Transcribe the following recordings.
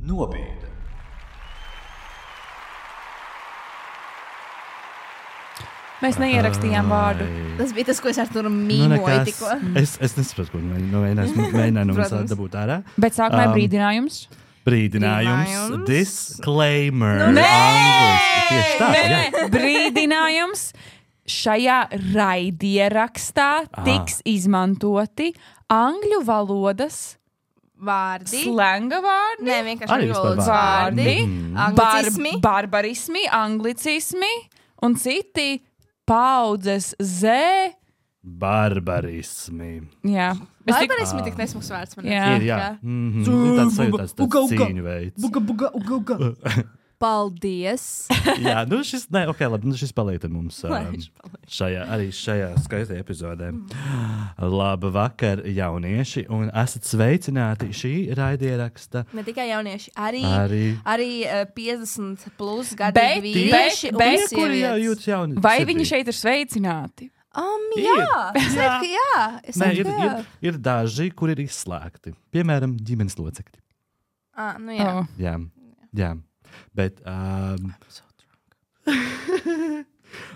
Nobīde. Mēs neierakstījām vārdu. Tas bija tas, ko es ar tur mīmoju tikko. Es nesaprotu, ko mēģināju no mums dabūt ārā. Bet sākumā ir brīdinājums. Brīdinājums. Disclaimer. Nē! Tieši tā, jā. Brīdinājums. Šajā raidierakstā tiks izmantoti angļu valodas Vārdi. slenga vārdi. Nē, vienkārši Arī angļu vispār valodas vārdi. Anglicismi. Barbarismi, anglicismi un citi paudzes Z. Barbarismi. Jā. Barbarismi tik nesmuks vārds man. Jā. Ir, jā. Tāds sajūtās, tāds cīņu veids. Uga. Paldies. Jā, šis paliek mums šajā skaistajā epizodē. Labu vakar, jaunieši, un esat sveicināti šī raidieraksta. Ne tikai jaunieši, arī 50 plus gadīgi vīrieši un kuri sievietes. jūtas jauni. Vai viņi šeit ir sveicināti? Jā. Ir daži, kuri ir izslēgti. Piemēram, ģimenes locekļi. Jā. Jā. Bet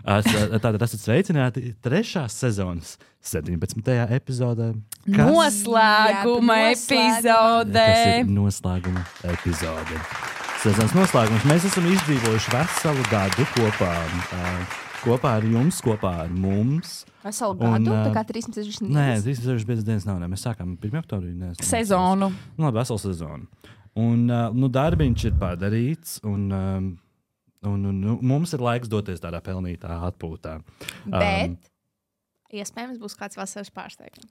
tātad esat sveicināti 3. sezonas 17. epizodē. Noslēguma epizodē. Tas ir noslēguma epizode. Sezonas noslēgums. Mēs esam izdzīvojuši veselu gadu kopā ar jums, kopā ar mums. Veselu gadu, tā kā 360 dienas. Nē, 365 dienas nav. Mēs sākām 1. oktobrī. Sezonu. Labi, veselu sezonu. Un darbiņš ir padarīts, un mums ir laiks doties tādā pelnītā atpūtā. Bet iespējams būs kāds vasaras pārsteigums.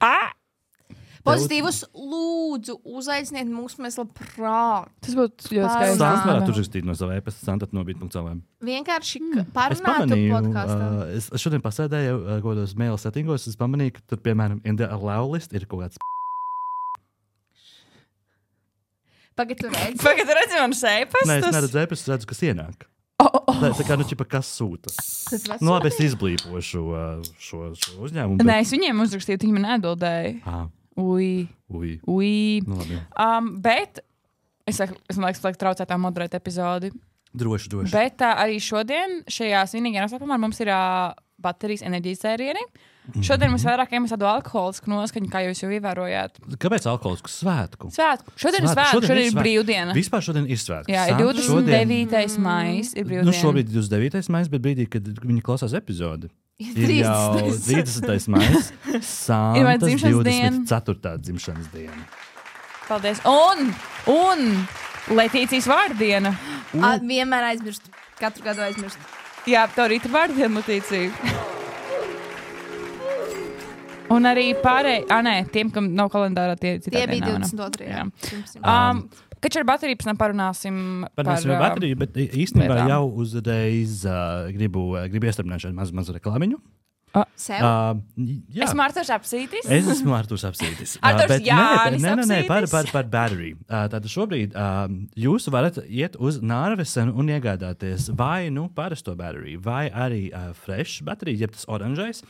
Pozitīvus lūdzu uzaiciniet mūs, mēs labprāt. Tas būtu ļoti skaisti. Sāns varētu uzrakstīt no sava e-pasta santatnobīt.cl. Vienkārši Es parunātu pamanīju, podkastā. es šodien pasēdēju kādos mail settingos, es pamanīju, ka tur, piemēram, in the allow list ir kaut kāds Pagad tu redzi. Pagad, redzi man šeipastus? Nē, es neredzu e-pastu, es redzu, kas ienāk. Tā kā, kas sūta. Labi, es izblīpošu šo uzņēmumu. Nē, es viņiem uzrakstīju, viņi man atbildēja. Ui. Labi. Bet es liekas, traucētā moderēt epizodi. Droši. Bet arī šodien, šajā svinīgajā noslēpumā, mums ir baterijas enerģijas sērieni. Šodien mums vairāk iemeslu alkoholisku noskaņu, kā jūs jau ievērojāt. Kāpēc alkoholisku svētku? Šodien ir svētku, šodien ir brīvdiena. Vispār šodien ir svētku. Jā, ir 29. maijs, ir brīvdiena. Šobrīd ir 29. maijs, bet brīdī, kad viņi klausās epizodi, ir jau 30. maijs, Santas 24. dzimšanas diena. Paldies. Un Letīcijas vārdiena. Vienmēr aizmirst. Katru gadu aizmirst. Jā, tev rīt ir vārdiena, Letīcija. Un arī pārējie, tiem, kam nav kalendārā, tie bija 22. Jā. Kad ar bateriju pēc tam parunāsim par bateriju, bet īstenībā jau uzreiz gribu iestrādāt šādu mazu reklāmiņu. Sev? Esmu Arturs Apsītis. Es esmu Arturs Apsītis. Arturs Jānis Nē, Apsītis. par bateriju. Tātad šobrīd jūs varat iet uz Nārvesenu un iegādāties vai parasto bateriju, vai arī fresh bateriju, jeb tas oranžais.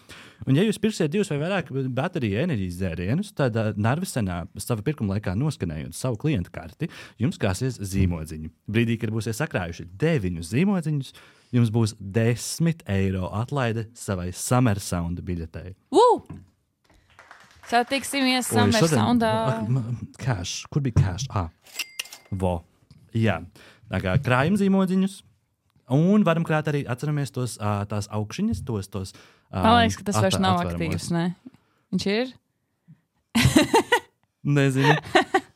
Un ja jūs pirksiet 2 vai vairāk bateriju enerģijas dzērienus, tad Nārvesenā sava pirkuma laikā noskanējot savu klientu karti, jums krāsies zīmodziņi. Brīdī, kad būsiet sakrājuši 9 zīmodziņus, jums būs 10 eiro atlaide savai Summer Sound biļetei. Satiksimies Summer Soundā. Cash. Kur bija cash? Jā. Tā kā krājam zīmodziņus. Un varam krāt arī, atceramies tās augšiņas, tos Man liekas, ka tas vairs nav aktīvs, ne? Viņš ir? Nezinu.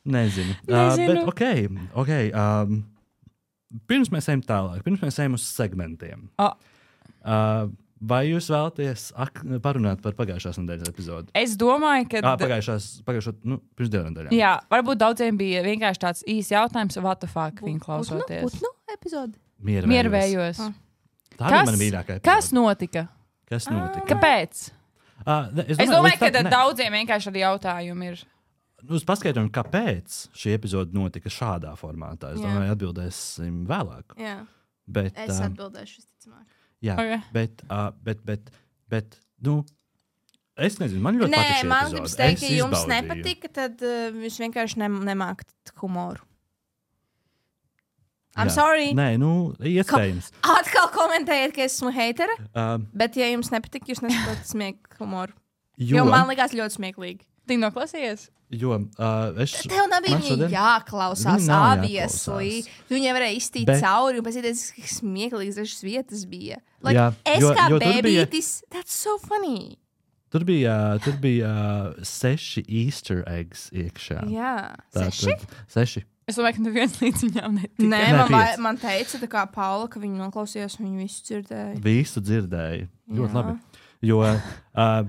Bet ok. Pirms mēs ejam tālāk, pirms mēs ejam uz segmentiem. Vai jūs vēlaties parunāt par pagājušās nedēļas epizodi? Es domāju, ka... Pagājušo, pirms 2 nedēļām. Jā, varbūt daudziem bija vienkārši tāds īs jautājums, what the fuck viņi klausoties. Putnu epizodi? Miervējos. Tā bija mana mīļākā epizode. Kas notika? Kāpēc? Es domāju, ka daudziem vienkārši arī jautājumi ir. Uz paskaidrojumu, kāpēc šī epizode notika šādā formātā. Es domāju, atbildēsim vēlāk. Jā. Bet, es atbildēšu visticamāk. Jā, okay. bet Es nezinu, man ļoti patīk šī man gribas teikt, epizode. ja jums nepatika, tad jūs vienkārši nemākat humoru. I'm sorry. Nē, iespējams. Atkal komentējiet, ka esmu heitere, bet ja jums nepatika, jūs nesaprotat smieku humoru. Jo man likās ļoti smieklīgi. Tik noklausījies? Jo tev nebija viņa jāklausās, obviously. Tu viņai varēja iztīt cauri, un pēc cik smieklīgas dažas vietas bija. Es kā bēbītis, that's so funny. Tur bija 6 Easter eggs iekšā. Jā, 6. Es domāju, ka neviens līdz viņām netika. Nē, man teica, tā kā Paula, ka viņi noklausījās, un viņi visu dzirdēja. Visu dzirdēja. Ļoti labi. Jo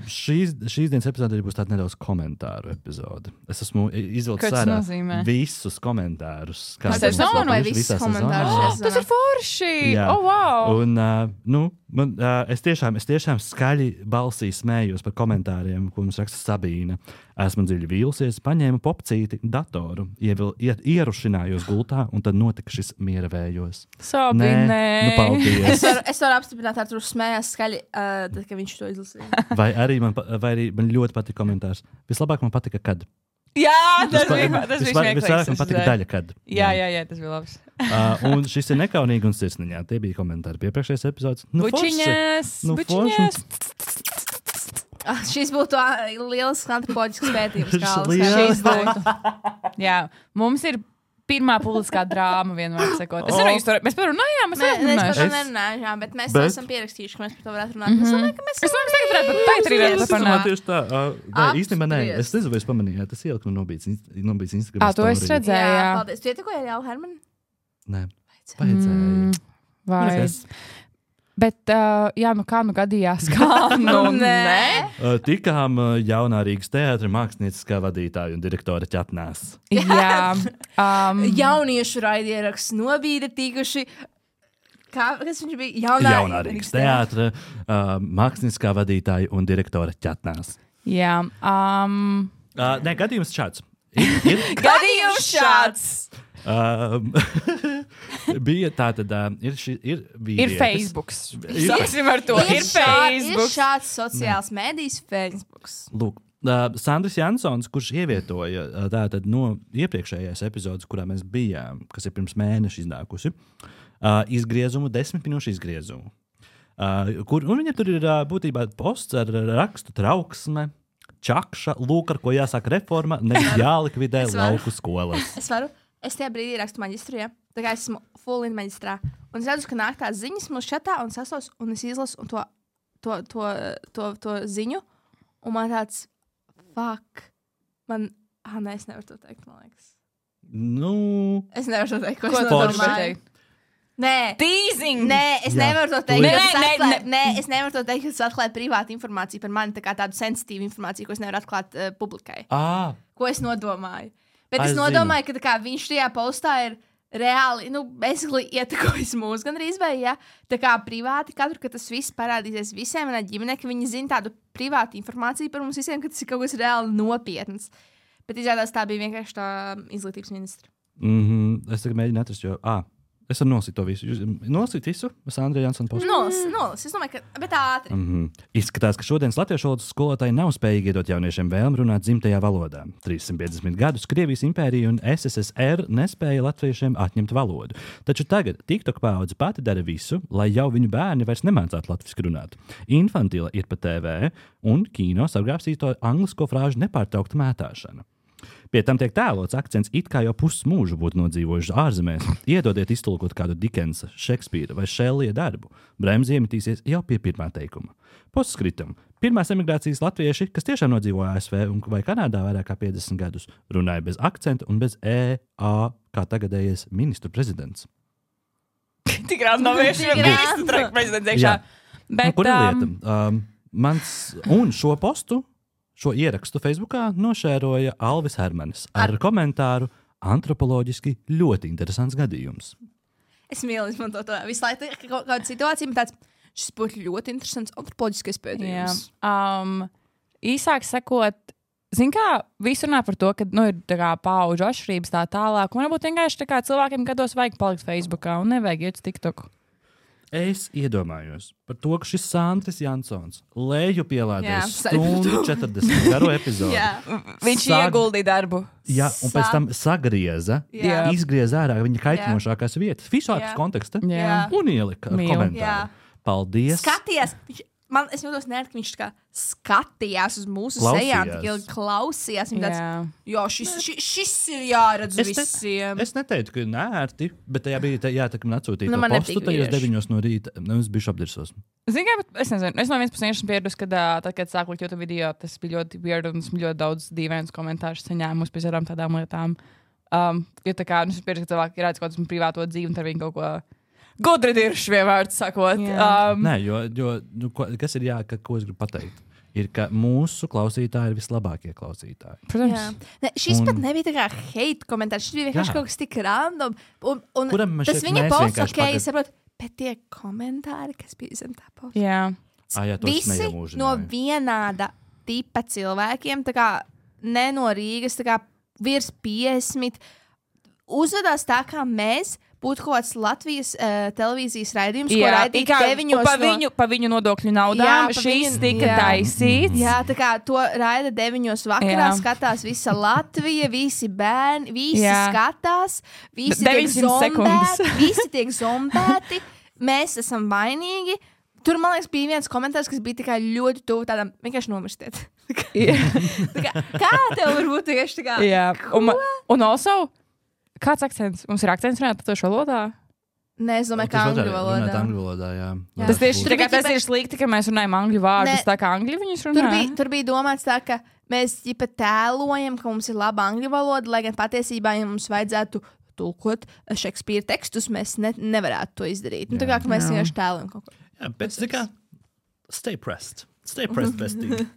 šīs dienas epizode būs tāda nedaudz komentāru epizode. Es esmu izvilcis ārā visus komentārus. Tas ir sezonu vai visus komentārus? Tas ir forši! Oh, wow! Un es tiešām skaļi balsī smējos par komentāriem, ko mums raksta Sabīna. Esmu dziļi vīlusies, paņēmu popcīti, datoru, ierušinājos gultā, un tad notika šis miera vējos. Sabīnē! Paldies! Es varu apstiprināt, ka tur smējās skaļi, tad, kad viņš to izlasīja. Vai arī man ļoti patika komentārs. Vislabāk man patika, kad. Jā, tas bija smieklīgs. Visvairāk man patika daļa, kad. Jā, tas bija labs. Un šis ir nekaunīgi un sirsniņā. Tie bija komentāri pie priekšējās epizodes. Bučiņas! Šis būtu liels antropoloģisks pētījums. Šis būtu. Jā, mums ir pirmā publiskā drāma vienmēr sakot. Es nezinu, mēs par runājām, mēs nerunājām, bet mēs esam pierakstījuši, ka mēs par to varētu runāt. Es domāju, ka mēs tagad varētu parunāt. Tieši tā. Īstenībā nē, es nezinu, vai es pamanīju, tas ieliku no nobīts Instagram story. To es redzēju, jā. Paldies. Tu ietikoji ar Jālu Hermanu? Nē, vajadzēja. Vai. Bet, kā gadījās, nē? Tikām jaunā Rīgas teātra mākslinieckā vadītāja un direktora ķetnās. Jā. Jauniešu raidieraksts nobīda tikuši. Kas viņš bija? Jaunā Rīgas teātra mākslinieckā vadītāja un direktora ķetnās. Jā. Nē, gadījums šāds. Gadījums šāds! Bija tā tad, ir vīrietis. Ir Facebook. Sāksim ar to. Ir Facebook. Ir šāds sociāls mēdījis Facebook. Lūk, Sandris Jansons, kurš ievietoja tātad no iepriekšējās epizodes, kurā mēs bijām, kas ir pirms mēneša iznākusi, izgriezumu, 10 minūšu izgriezumu. Un viņam tur ir būtībā posts ar rakstu trauksme, čakša, lūk, ar ko jāsāk reforma, nevis jālikvidē lauku skolas. Es tajā brīdī rakstu maģistru, ja? Tā kā es esmu full in maģistrā. Un es redzu, ka nāk tās ziņas mūsu čatā un sasos, un es izlasu to ziņu. Un man tāds, fuck. Nē, es nevaru to teikt, man liekas. Es nevaru to teikt, ko es domāju. Nē. Teasing! Nē, es nevaru to teikt. Nē, es nevaru to teikt, ka tas atklāja privātu informāciju par mani, tā kā tādu sensitīvu informāciju, ko es nevaru atklāt publikai. Ko es nodomāju. Bet es nodomāju, ka kā, viņš tajā postā ir reāli, ietekojis mūs gan arī izvēja, ja? Tā kā privāti katru, ka tas viss parādīsies visiem manā ģimenē, ka viņi zina tādu privātu informāciju par mums visiem, ka tas ir kaut kas reāli nopietns. Bet izrādās tā bija vienkārši tā izglītības ministra. Es tagad mēģinu atrast, jo... Es varu nosit to visu. Nosit visu? Sandra Jansona postu? Nolis. Es domāju, ka... Bet ātri. Izskatās, ka šodienas latviešu valodas skolotāji nav spējīgi iedot jauniešiem vēlmi runāt dzimtajā valodā. 350 gadus Krievijas impērija un SSSR nespēja latviešiem atņemt valodu. Taču tagad TikTok paudze pati dara visu, lai jau viņu bērni vairs nemācātu latviski runāt. Infantila ir pa TV un kino sargāpsīto anglisko frāžu nepārtraukta mētāšana. Pie tam tiek tēlots akcents, it kā jau pusmūžu būtu nodzīvojuši ārzemēs. Iedodiet iztulkot kādu Dikensa, Šekspīra vai Šellija darbu. Bremzi iemetīsies jau pie pirmā teikuma. Postkritam. Pirmās emigrācijas latvieši, kas tiešām nodzīvoja ASV vai Kanādā vairāk kā 50 gadus, runāja bez akcenta un bez EA, kā tagadējies ministru prezidents. Tik rāda nav vienkārši ministru prezidents iekšā. Kur ir lieta? Un šo postu, šo ierakstu Facebookā nošēroja Alvis Hermanis ar komentāru antropoloģiski ļoti interesants gadījums. Es mīlu izmantot to visu laiku kādu situāciju, bet šis būtu ļoti interesants antropoloģiskais pētījums. Īsāk sakot, zin kā, visi runā par to, ka ir tā kā paudžu atšķirības tā tālāk, un varbūt vienkārši tā kā cilvēkiem gados vajag palikt Facebookā un nevajag iet uz TikToku. Es iedomājos par to, ka šis Sandris Jansons leju pielādēs stundu 40 garo epizodi. Viņš ieguldīja darbu. Jā, un pēc tam sagrieza, izgrieza ārā viņa kaitinošākās vietas, visādas konteksta, un ielika ar komentāru. Paldies! Skatījās! Es jūtos ka viņš kā skatījās uz mūsu sejām, tik ilgi klausījās. Viņa tāds, šis ir jāredz visiem. Es neteiktu, ka nērti, bet tajā bija jātakam atsūtīt to postu tajos 9 no rīta. Es biju apdirsos. Zini, kā, bet es nezinu. Es no vienas puses esmu pieredus, kad sāku likt YouTube video, tas bija ļoti weird un esmu ļoti daudz dīvainus komentārus saņēmus pēc tādām lietām. Jo tā kā, es pieredzu, ka cilvēki redz kaut kādu privāto dzīvi un tad viņi kaut ko gudri dirši vienvārds sakot. Nē, jo kas ir ko es gribu pateikt, ir, ka mūsu klausītāji ir vislabākie klausītāji. Protams. Ne, šis pat nebija tā kā hate komentārs, šis bija vienkārši kaut kas tik random. Un tas viņa posts, es saprotu, bet tie komentāri, kas bija zem tā posta. Jā. Visi no vienāda tipa cilvēkiem, tā kā ne no Rīgas, tā kā virs 50, uzvedās tā kā mēs, būtu kaut kāds Latvijas televīzijas raidījums, ko raidīt 9 pa viņu nodokļu naudām. Šīs tika taisīts. Jā, tā kā to raida 9 vakarā, skatās visa Latvija, visi bērni, visi skatās, visi tiek zombēti, mēs esam vainīgi. Tur, man liekas, bija viens komentārs, kas bija tikai ļoti tuvu tādam, vienkārši nomirstiet. Kā tev var būt tieši tā kā? Jā, un also, kāds akcents? Mums ir akcents runāt par to valodā? Nē, es domāju, ka angļu valodā. Jā. Tas ir slikti, ka mēs runājam angļu vārdus, tā kā angļu viņus runā. Tur bija domāts tā, ka mēs ģipa tēlojam, ka mums ir laba angļu valoda, lai gan patiesībā, ja mums vajadzētu tulkot Šekspīra tekstus, mēs nevarētu to izdarīt. Tā kā mēs vienkārši tēlojam kaut ko. Jā, bet tā kā stay pressed, bestie.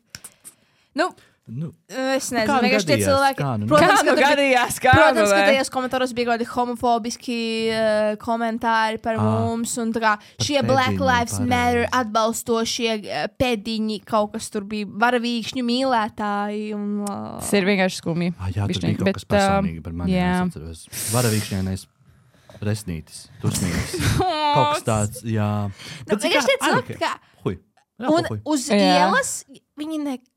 Es nezinu, vienkārši tie cilvēki. Protams, ka tajos komentāros bija kādi homofobiski komentāri par mums, un tā kā šie Black Lives Matter atbalstošie pēdiņi, kaut kas tur bija varavīkšņu mīlētāji. Tas ir vienkārši skumji. Jā, tur bija kaut kas personīgi par mani. Es atceros. Varavīkšņainais resnītis, tusnītis. Kaut kas tāds, jā. Vienkārši tie cilvēki, kā. Un uz ielas viņi nekad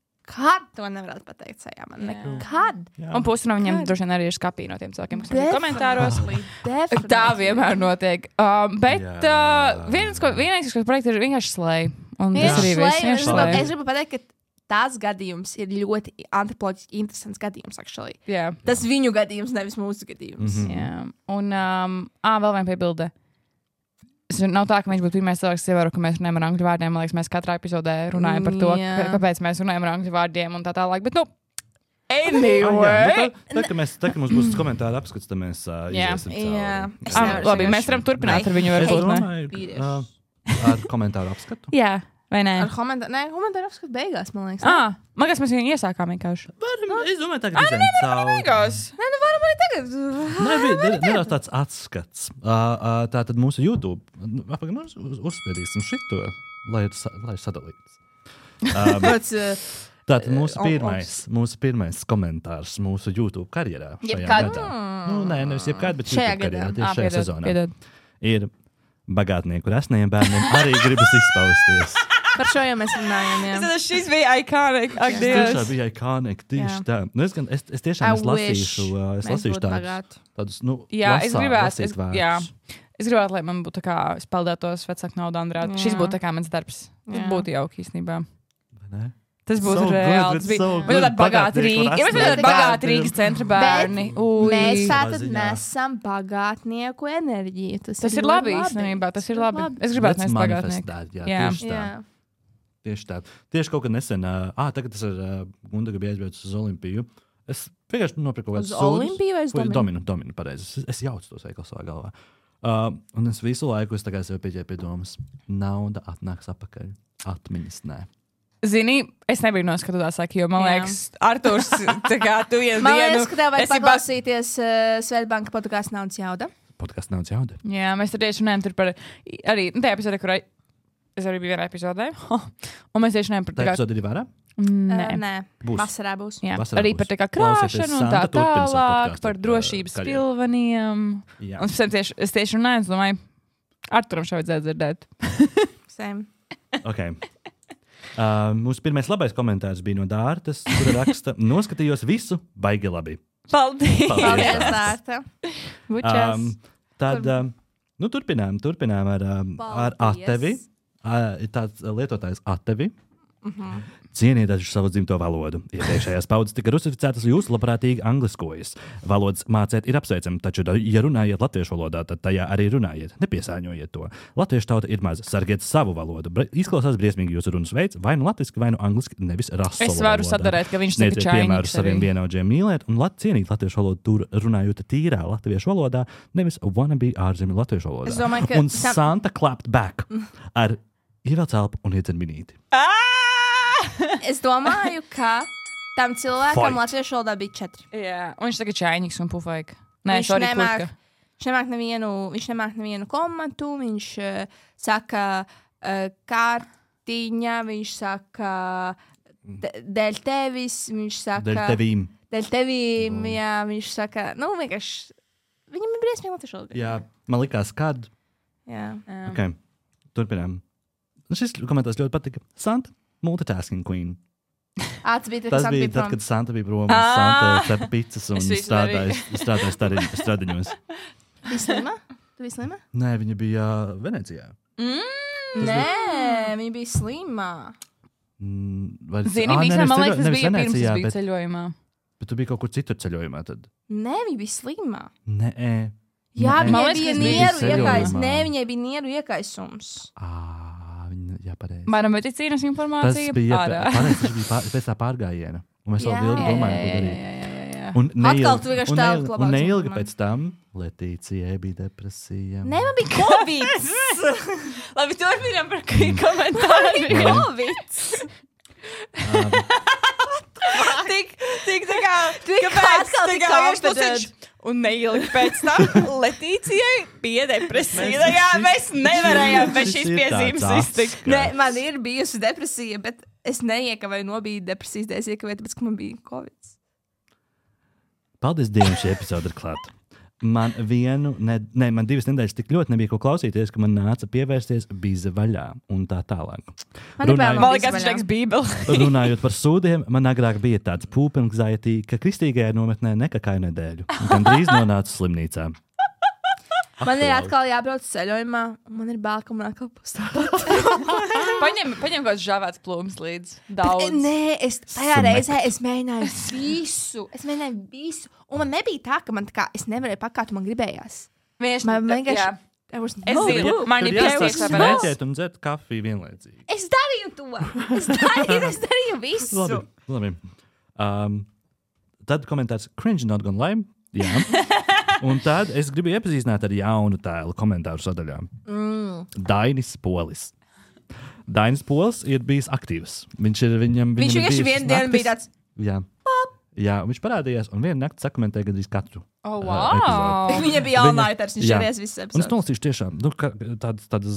to nevarētu pateikt sajā man. Nekad. Un pusi no viņiem droši vien arī ir skapī no tiem cilvēkiem, kas ir komentāros. Tā vienmēr notiek. Bet vienīgais, kas projekts ir vienkārši slēj. Un tas arī viss. Es gribu pateikt, ka tās gadījums ir ļoti antropoloģiski interesants gadījums, actually. Tas viņu gadījums, nevis mūsu gadījums. Un vēl viena piebilde. Nav tā, ka viņš būtu pirmais cilvēks, kas ievēro, ka mēs runājam ar angļu vārdiem. Man liekas, mēs katrā epizodē runājam par to, kāpēc mēs runājam ar angļu vārdiem un tā tālāk. Bet, anyway! Tā, ka mums būs komentāri apskats, tad mēs iesim cauri. Labi, mēs varam turpināt ar viņu. Es domāju, ar komentāru apskatu. Jā. Vai nē? Komentāru apskatu beigās, man liekas. Man liekas, mēs viņu iesākām vienkārši. Es domāju, tagad izējām cauri. Varam arī tagad. Nedaudz tāds atskats. Tātad mūsu YouTube. Uzspiedīsim šito, lai sadalītas. Tātad mūsu pirmais komentārs mūsu YouTube karjerā šajā gadā. Nē, nevis jebkād, bet YouTube karjerā, tieši šajā sezonā. Ir bagātnieku resniem bērniem arī gribas izpausties. Par šo jau mēs runājam, jā. Šis bija iconic. Tas tiešām bija iconic, tieši tā. Es tiešām lasīšu tādus, es gribētu, lai man būtu tā kā spēlētos vecāku naudu Andrāt. Šis būtu tā kā mans darbs. Tas būtu jauki īstenībā. Vai ne? Tas būtu reāli. Tas bija bagāti Rīgas. Ja mēs tādi bagāti Rīgas centra bērni. Mēs tātad nesam bagātnieku enerģiju. Tas ir labi īstenībā. Tas ir labi. Es gribētu nest bagātnieku. Tieši tā. Tieši kaut kad nesen, tagad tas ir Gundaga bija aizbraucis uz Olimpiju. Es vienkārši nopirku kaut kādu sūdus. Uz Olimpiju vai uz Dominu? Dominu, pareizi. Es jaucu tos veikalu savā galvā. Un es visu laiku sev pieķēru pie domas. Nauda atnāks apakaļ. Atmiņas nē. Zini, es nebiju noskatījās, jo man liekas, Arturs, tā kā tu vienu dienu... Man liekas, ka tev vajag paklausīties Svetbanka podkāstu Naudas jauda. Podkāstu Naudas jauda? Jā, mēs tur tieši runājam par... Arī tajā epizodē, kur es arī biju vienā epizodē. Un mēs tieši runājam par... Tā epizode ir vārā? Nē. Vasarā būs. Jā, arī par tā kā krāšanu un tā tālāk, par drošības pilveniem. Un es tieši runāju, es domāju, Arturam šo vajadzētu dzirdēt. Same. Okay. Mūsu pirmais labais komentārs bija no Dārtas, kura raksta, noskatījos visu, baigi labi. Paldies, Dārta. Tad turpinām ar Atevi. Ir tāds lietotājs Atevi. Cieniet dažu savu dzimto valodu. Iepriekšējās paudzes tika rusificētas, jūs labprātīgi angliskojas. Valodas mācēt ir apsveicami, taču, ja runājiet latviešu valodā, tad tajā arī runājiet. Nepiesāņojiet to. Latviešu tauta ir maza. Sargiet savu valodu. Izklausās briesmīgi jūsu runas veids, vai nu latviski, vai nu angliski, nevis rasola valodā. Es varu sadarēt, ka viņš saka čainīgs. Piemēru saviem vienaudžiem mīlēt un cienīt latviešu valodu tur runājot tīrā latviešu valodā, nevis wannabe ārzemju latviešu valodā. Es domāju, ka un Santa clapped back ar ievelc elpu un iedzer minīti. Es domāju, ka tam cilvēkam latviešu valodā bija 4. Jā, un viņš tagad čainīgs un pufaik. Nē, Viņš nemāk nevienu komatu, viņš saka kārtiņa, viņš saka dēļ tevis, viņš saka dēļ tevīm, jā, viņš saka, vienkārši, viņam ir briesmīgi latviešu valodā. Jā, man likās, kad. Jā. Okay. Turpinām. Šis komentārs ļoti patika. Santa, multitasking queen. Tas bija tad, kad Santa bija prom, Santa cepa pizzas un strādāja stradiņos. Bija slima? Tu biji slima? Nē, viņa bija Venecijā. Nē, viņa bija slima. Zini, visam, man liekas, tas bija pirms es biju ceļojumā. Bet tu biji kaut kur citur ceļojumā tad? Nē, viņa bija slima. Nē. Jā, viņai bija nieru iekaisums. Nē, viņai bija nieru iekaisums. Jā, pareizi. Mana medicīnas informācija. Tas bija pēc tā pārgājiena. Un mēs vēl ilgi domājam, ko darīt. Un neilgi pēc tam Letīcijai bija depresija. Nē, man bija Covid. Labi, turpinām par komentāru. Covid. Tik tā kā, kāpēc tā kā viņš un neilgi pēc tam Letīcijai bija depresija. Jā, mēs nevarējām bez šīs piezīmes iztikt. Nē, man ir bijusi depresija, bet es neiekavēju nobīt depresijas dēļ, es iekavēju, tāpēc, ka man bija Covid. Paldies Dievam, šī epizode ir klāta. Man 2 nedēļas tik ļoti nebija ko klausīties, ka man nāca pievērsties bīze vaļā un tā tālāk. Runājot par sūdiem, man agrāk bija tāds pūpenanxiety, ka kristīgajā nometnē nekakāju nedēļu. Gan drīz nonācu slimnīcā. Man ir atkal jābrauc ceļojumā, un man ir bail, ka man atkal pastāvot. Paņem kaut žāvēts plūms līdz daudz. Nē, tajā reizē es mēģināju visu. Un man nebija tā, ka es nevarēju pakāt, un man gribējās. Man vienkārši... Es zinu, man ir piesties smēķēt un dzert kafiju vienlaicīgi. Es darīju to. Es darīju visu. Labi. Tad komentārs cringe not gonna lie. Jā. Un tad es gribu iepazīstināt ar jaunu tēlu komentāru sadaļā. Dainis Polis. Dainis Polis ir bijis aktīvs. Viņš vienkārši vienu dienu bija tāds. Jā, viņš parādījās un vienu nakti sakomentēja gandrīz katru. Wow! Viņa bija Alnaiters, viņš šeries visas epizodes. Un es nolasīšu tiešām tādas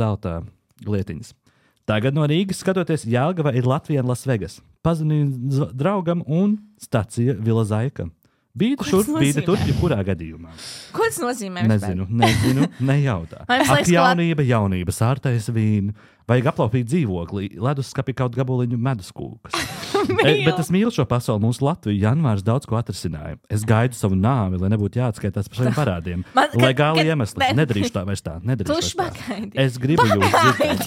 zelta lietiņas. Tagad no Rīgas skatoties, Jelgava ir Latvija un Las Vegas. Pazvanīju draugam un stacija Vila Zaika. Bīda šurp, bīda tur, jebkurā gadījumā. Ko tas nozīmē? Nezinu, nejautā. Ak, jaunība, sārtais vīnu. Vajag aplaupīt dzīvokli, leduskapī kaut gabaliņu meduskūkas. Bet es mīlu šo pasauli, mūsu Latviju. Janvārs daudz ko atrisināja. Es gaidu savu nāvi, lai nebūtu jāatskaitās par saviem parādiem. Legāli iemesli. Nedarīšu tā vairs tā. Es gribu jūs dzirdēt.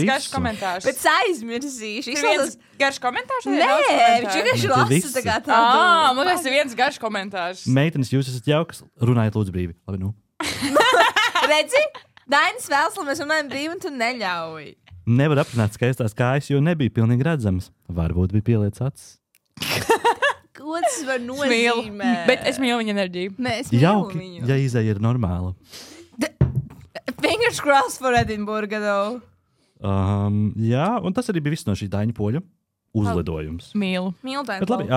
Garš komentārs. Bet aizmirsīšu. Viens garš komentārs? Nē, viņš vienkārši lasa tagad tādu. Man tas ir viens garš komentārs. Meitenes, jūs esat jaukas. Runājiet lūdzu brīvi. Labi, nu. Redzi? Dainis vēlas, lai mēs runājam brīvi, un tu neļauj. Nevar aprināt skaistās kājas, jo nebija pilnīgi redzamas. Varbūt bija pieliec acis. Ko tas var nozīmēt? Bet es mīlu viņa enerģiju. Nē, es mīlu jauki, viņu. Ja izēja ir normāla. Fingers crossed for Edinburgh, though. Jā, un tas arī bija viss no šī Daņa Poļa. Uzlidojums. Mīlu Daņa Poļu.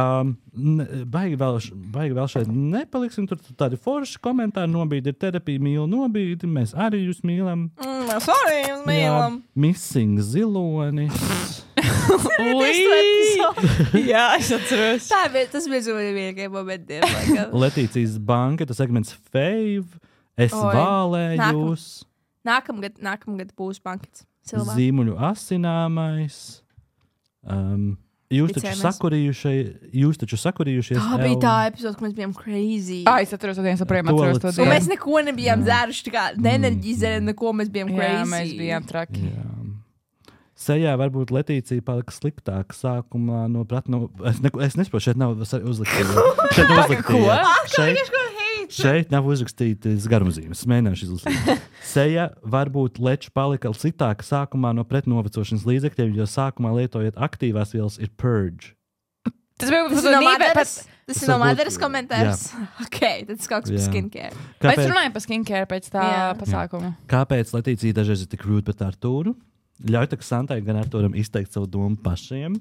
Baigi vēl šeit nepaliksim. Tur tādi forši komentāri nobīdi. Ir terapija, mīlu nobīdi. Mēs arī jūs mīlam. Mēs arī jūs mīlam. Missing ziloni. Jā, es atceros. Tas bija zūdīgākie momentiem. Letīcijas banka, tas segments Fave. Es vālēju jūs. Nākamgad būs bankets. Silvā. Zīmuļu asināmais. Jūs taču sakurījušies. Tā bija tā epizode, ka mēs bijām crazy. Es atceros to dienu. Un mēs neko nebijām dzēruši, tā kā neenerģizējām, neko mēs bijām crazy. Jā, mēs bijām traki. Jā. Sejā varbūt Letīcija palika sliktāka sākumā no pratnu. Es nesaprotu, šeit nav uzliktīja. Šeit nav uzrakstītas garumzīmes. Es mēģināšu izlasīt. Seja varbūt leču palika sliktāka sākumā no pretnovecošanas līdzekļiem, jo sākumā lietojot aktīvās vielas ir purge. Tas ir no Madaras komentārs. Ok, tas kaut kas par skincare. Mēs runājam par skincare pēc tā pasākuma. Kāpēc Letīcija dažreiz ir tik rude pret Artūru? Ļauj tak Santai gan Artūram izteikt savu domu pašiem.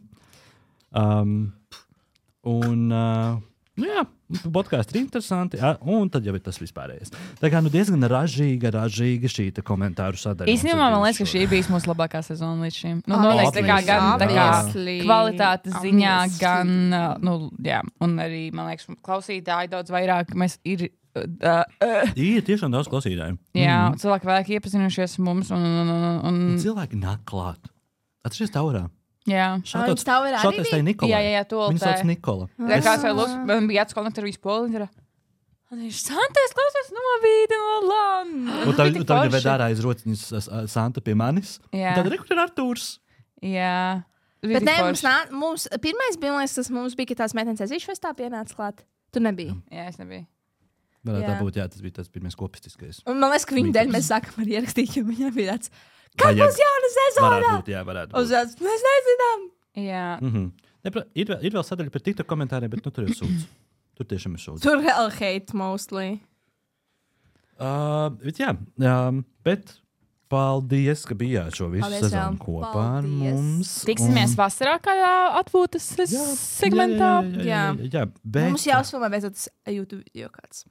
Podkāsti ir interesanti, un tad jau ir tas vispārējais. Tā kā diezgan ražīga šī komentāru sadaļa. Īstenībā man liekas, ka šī bija mūsu labākā sezona līdz šim. Noteikti gan kvalitātes ziņā, gan, un arī, man liekas, klausītāji daudz vairāk mēs ir. Ir tiešām daudz klausītāju. Jā, cilvēki vairāk iepazinušies mums un cilvēki nāk klāt. Atceries taurā. Jā. Šāds taurā arī bija? Nikolai. Jā, to Viņa sauc Nikola. Kāds vai lūks, man bija jāatskonekta ar visu poli. Viņš Santais klausies novīdi no Landa. Un tagad ved ārā iz rociņas Santa pie manis. Tad rekur ir Artūrs. Jā. Bet ne, mums pirmais bija, tas mums bija, ka tās meitenes aizīšu festā pienāca klāt. Tu nebija. Jā, es nebiju. Varētu tā būt, tas bija tas pirmais kopistiskais. Un man liekas, ka viņa dēļ mēs sākam arī ierakstīt, jo viņam bija tāds, kad būs jauna sezona? Varētu būt. Mēs nezinām. Jā. Ir vēl sadaļa par TikTok komentāriem, bet tur ir sūdz. Tur tiešām ir sūdz. Tur vēl hate mostly. Bet paldies, ka bijāt šo visu sezonu kopā ar mums. Tiksimies vasarā kādā atpūtas segmentā. Jā. Bet mums jāuzfilmē beidzot tas YouTube video kāds.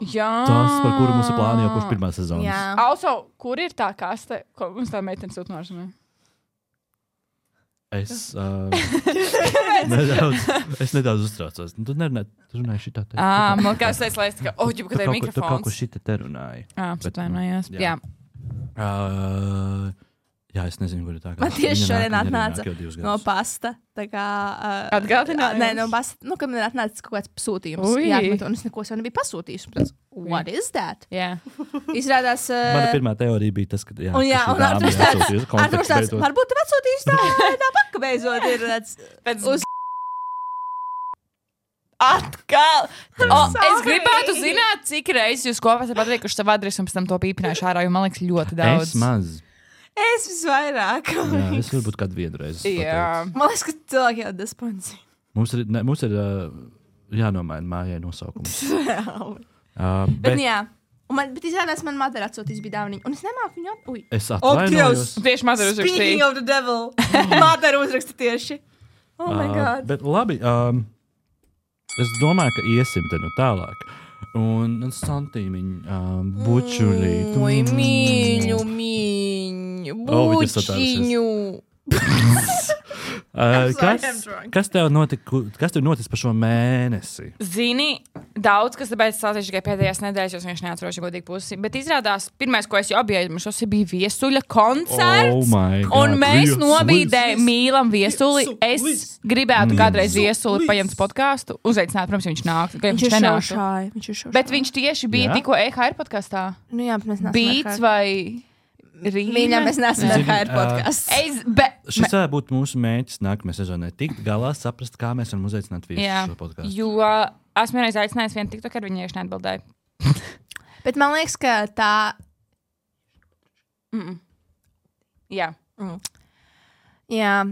Jā. Tas, par kuru mums ir plāni jau kurš pirmā sezonas. Jā. Also, kur ir tā kaste, ko mums tā meitene sūt nožamē? Es nedaudz uztraucos. Tu runāji šitā te. Man kā es teicu, lai es tā kā, ģibu, kad ir mikrofons. Tu kaut ko šitā te runāji. Atvainojos. Jā. Jā, es nezinu, kur ir tā kā. Man tieši šodien atnāca no pasta. Tā kā... Atgādinājums? Nē, no pasta. Kad man atnāca kaut kāds pasūtījums. Jā, un es neko sev nebiju pasūtījis. What is that? Jā. Izrādās... Mana pirmā teorija bija tas, ka... Un Arturs tāds, varbūt tev atsūtījis tā paka beidzot ir tāds... Atkal! Es gribētu zināt, cik reizes jūs kopā esat pateikuši savu adresi un pēc tam to pīpinājuši ārā, jo man liekas ļoti daudz. Es maz. Es visvairāk. Jā, es varbūt kādu vienu reizi. Jā. Man liekas, ka cilvēki jau desponsi. Mums ir jānomaina mājai nosaukums. Bet jā. Bet izrādās, man Madara atsūtīs bija dāvaniņa. Un es nemāku viņu Es atvainojos. Tieši Madara uzrakstīja. Speaking of the devil. Madara uzraksta tieši. Oh my God. Bet labi, es domāju, ka iesim te no tālāk. Un santīmiņu, bučulītu. Oi, mīļu, bučiņu. Kas tev notic par šo mēnesi? Zini, daudz, kas tāpēc sācies tikai pēdējās nedēļas, jo viņš neatceros, ja godīgi pusi. Bet izrādās, pirmais, ko es jau apjēdzu, bija Viesuļa koncerts. Un mēs nobīdējām mīlam Viesuli. Es gribētu kādreiz Viesuli paņemt podkāstu, uzaicināt, protams, viņš nāk. Viņš ir šaušāji. Bet viņš tieši bija tikko EHR podkāstā. Nu jā, bet mēs neesam Beats vai... Mīļā, mēs neesam EHR podkāsts. Šis varētu būt mūsu mērķis nākamajā sezonā. Tikt galā, saprast, kā mēs varam uzaicināt viesus šo podkāstu. Jo esmu vienreiz aicinājis vienu TikTok, ar viņu ieši neatbildēju. Bet man liekas, ka tā... Jā. Jā.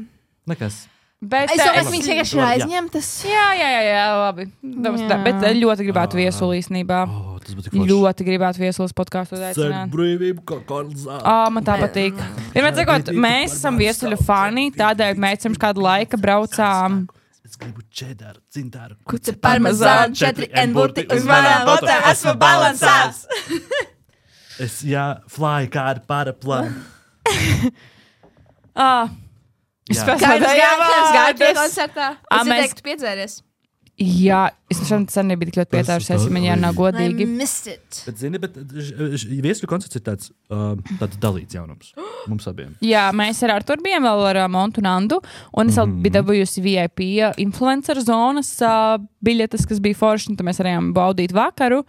Nekas. Bet, es domāju, ka viņš vienkārši ir aizņemtas. Jā, labi. Bet ļoti gribētu Viesuli īstenībā. Ļoti gribētu Viesulas podkāstu uzaicināt. Brīvību, kā Karlsā. Man tā patīk. Vienmēr sakot, mēs esam Viesuļa fani, tādēļ mēs pirms kādu laika braucām. Es gribu čedaru, cintāru. Kuce parmezānu, 4 burti uz manām botām, esmu balansās. Fly kā ar paraplānu. Es gāju pie koncertā. Es ieteiktu piedzēries. Jā, es sen nebiju tik ļoti pietājušies, ja man jārunā godīgi. I missed it. Bet, zini, viesuļu koncerts ir tāds dalīts jaunums mums abiem. Jā, mēs ar Arturu bijām vēl ar Montu un Andu, un es vēl biju dabūjusi VIP influencer zonas biļetes, kas bija forši, un tad mēs varējām baudīt vakaru,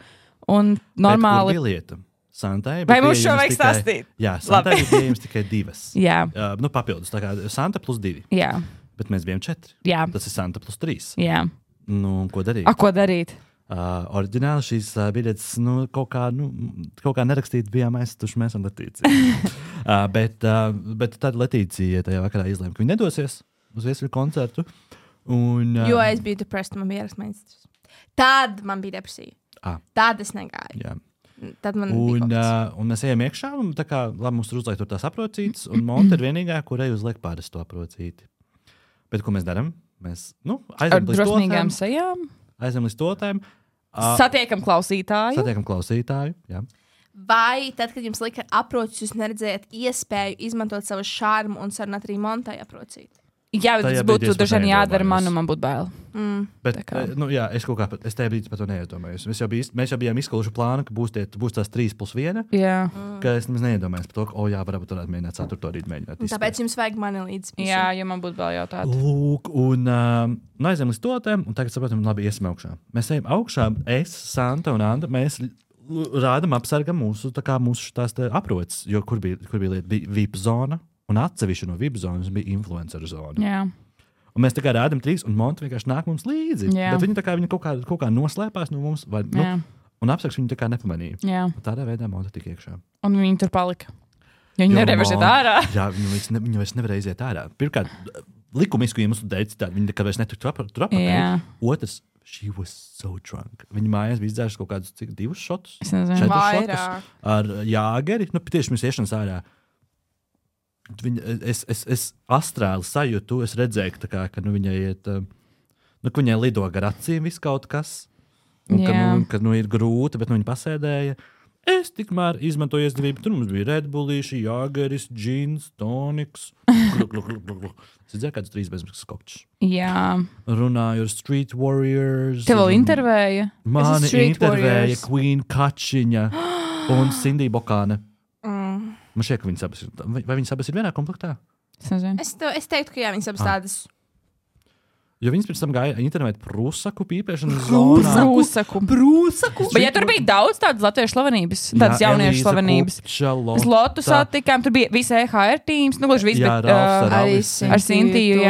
un normāli... Bet kur bija lieta? Santai, vai mums šo vajag stāstīt? Jā, Santai bija pieejams tikai 2. Jā. Papildus, tā kā Santa plus 2. Jā. Bet mēs bijām 4. Jā. Tas ir Santa plus 3. Jā. Nu, ko darīt? Ko darīt? Oriģināli šīs biļetes kaut kā nerakstīt bijām aizstuši mēs un Letīcija. Bet tad Letīcija tajā vakarā izlēma, ka viņa nedosies uz viesuļu koncertu. Jo es biju depressed, man bija ierakstmeistrs. Tad man bija depresija. Tad es negāju. Jā. Tad man bija un mēs ejam iekšā, un tā kā labi mums tur uzliek tur tās aprocītes, un Monta ir vienīgā, kurai uzliek parasto aprocīti. Bet ko mēs darām? Mēs aizem līdz stotēm. Satiekam klausītāju. Jā. Vai tad, kad jums lika aprocis, jūs neredzējat iespēju izmantot savu šārmu un sarunāt arī Montai aprocīt? Jā, bet tas būtu dažiem jādara man būtu bail. Bet, jā, es tajā brīdī par to neiedomājos. Mēs jau bijām izskaluši plānu, ka būs tās 3+1. Jā. Ka es nemaz neiedomājos par to, ka, varbūt varētu mēģināt 4. rīt mēģināt. Tāpēc jums vajag mani līdz. Jā, ja man būtu bail jautāt. Lūk, un aizējām līdz stotēm, un tagad saprotam, labi, iesim augšā. Mēs ejam augšā, es, Santa un Anda, mēs rādam apsargam mūsu tās aproces, jo kur bija lieta, bija VIP zona. Un atsevišķi no VIP zonas bija influenceru zona. Jā. Un mēs tā kā rādām 3, un Monta vienkārši nāk mums līdzi. Jā. Bet viņa kaut kā noslēpās no mums, un apsargs viņu tā kā nepamanīja. Jā. Un tādā veidā Monta tika iekšā. Un viņa tur palika. Viņa nevarēja iziet ārā. Jā, viņa vairs nevarēja iziet ārā. Pirmkārt, likumisku iemeslu dēļ citādi, viņa nekad vairs netika tur apakaļ. Otrs, she was so drunk. Viņa mājās bija izdzērusi kaut kādus 2 šotus. Es nezinu. 4 šotus ar jāgeri. Tieši mēs iešanas ārā. Es astrāli sajūtu, es redzēju, ka viņai iet, ka viņai lido gar acīm viss kaut kas, un ka ir grūti, bet viņa pasēdēja. Es tikmēr izmantoju izdevību, tur mums bija Red Bullīši, jāgeris, džins, toniks. Es redzēju kādus 3 bezmaksas kokčus. Jā. Runāju ar Street Warriors. Tev vēl intervēja? Mani intervēja Queen Kačiņa un Cindy Bokāne. Man šķiet, ka viņas abas ir. Vai viņas abas ir vienā komplektā? Es teiktu, ka jā, viņas abas tādas. Jo viņas pēc tam gāja intervēt Prūsaku pīpēšanas zonā. Prūsaku. Bet ja tur bija daudz tādas latviešu slavenības, tādas jauniešu slavenības. Mēs Lotu satikām, tur bija visi EHR teams, gluži viss, bet ar Sintiju,